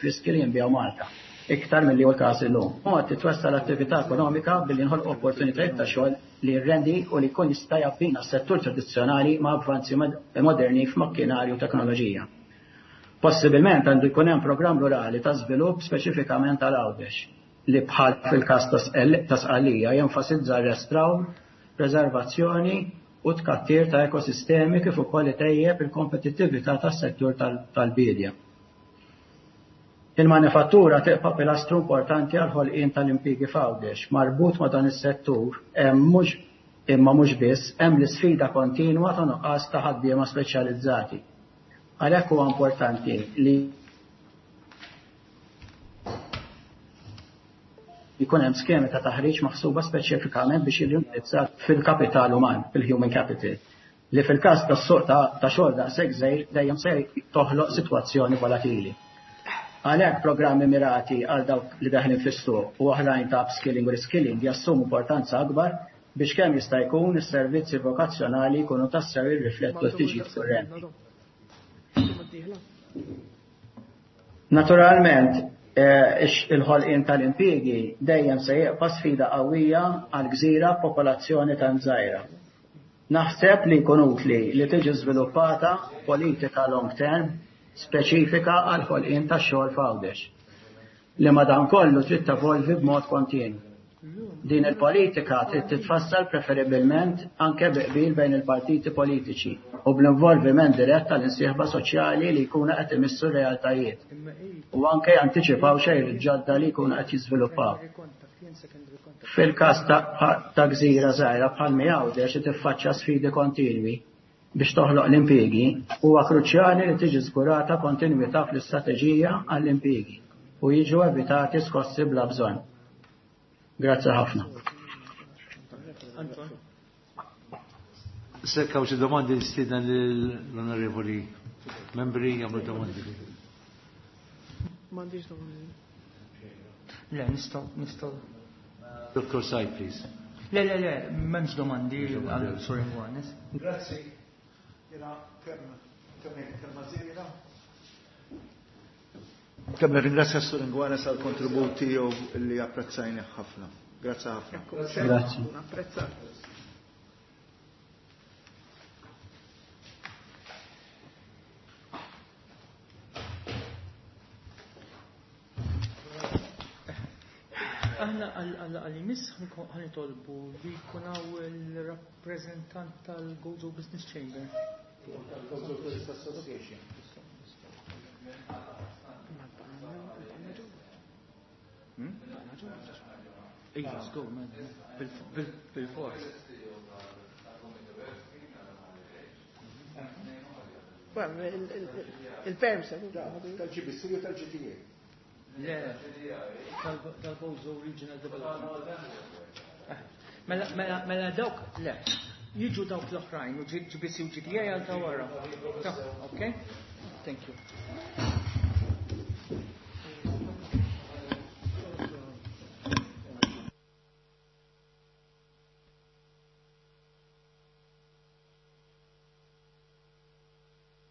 friski li jinbiegħu Malta, iktar milli hu l-każ illum. Mod titwessa l-attività ekonomika billi nħolqu opportunitajiet ta' xogħol li jirrendi u li jkun jista' jabbina s-settur tradizzjonali ma' avvanzi moderni f'makkinarju u teknoloġija. Possibilment għandu jkun hemm programm rurali ta' żvilupp speċifikament għal Għawdex li bħal fil-każ ta' Sqallija jenfasizza r-restrawr, preservazzjoni u tkattir ta' ekosistemi kif ukoll itejjeb il-kompetittività tas-settur tal-bidja. Il-manifattura tibqa' pilastru importanti għal ħolqien tal-impjiegi f'Għawdex. Marbut ma' dan is-settur hemm mhux imma mhux biss hemm l-isfida kontinwa ta' nuqqas ta' ħaddiema speċjalizzati. Għalhekk huwa importanti li jkun hemm skemi ta' taħriġ maħsuba speċifikament biex jiġu fil-kapital uman, fil-human capital, li fil-każ tas-suq ta' xogħol daqshekk żgħir dejjem se toħloq sitwazzjoni volatili. Għalhekk programmi mirati għal dawk li daħlin fis-suq u oħrajn ta' upskilling u reskilling jassumu importanza akbar biex kemm jista' jkun is-servizzi vokazzjonali jkunu tassew jirriflettu l-ħtiġijiet kurrenti. Naturalment, il-ħolqien tal-impjiegi dejjem se jibqa' sfida qawwija għal gżira b'popolazzjoni tant żgħira. Naħseb li jkun utli li tiġi żviluppata politika long term speċifika għal ħolqien tax-xogħol f'Għawdex, li madankollu trid tevolvi b'mod kontinwu. Din il-politika trid titfassal preferibilment anke bi qbil bejn il-partiti politiċi u bl-involviment dirett tal-insieħba soċjali li jkunu qed imissu r-realtajiet u anke jantiċipaw xejn ġodda li jkunu qed jiżviluppaw. Fil-każ ta' gżira żgħira bħal Għawdex li tiffaċċja sfidi kontinwi biex toħloq l-impjiegi, huwa kruċjali li tiġi żgurata kontinwità fl-istrateġija għall-impjiegi u jiġu evitati skossi bla bżonn. Grazzi ħafna. Sekk hawn xi domandi nistieden lill-onorevoli membri jagħmlu domandi. M'għandix domandi. Le, nistgħu nistgħu. Doctor Said, please. Le, le, le, m'hemmx domandi għal Sur Inguanez. Grazzi. Jiena kemm kemm kelma żieda. Kemm nirringrazzja Sur Inguanez għal kontribut tiegħu li apprezzajni ħafna. Grazzi ħafna. Grazzi. Apprezzat. Aħna għal-imiss ħanitolbu li jkun hawn il-rappreżentant tal-Gozo Business Chamber. Gozo Tourist Association. Iva, żgur, bil-fors. Il-perms. Tal-G B C u tal-G T A. Le, tal-Gozo Regional Development. Eh, mela, mela, mela dawk, le, jiġu dawk l-oħrajn, u G B C u G D A għal ta' wara. Ok? Thank you.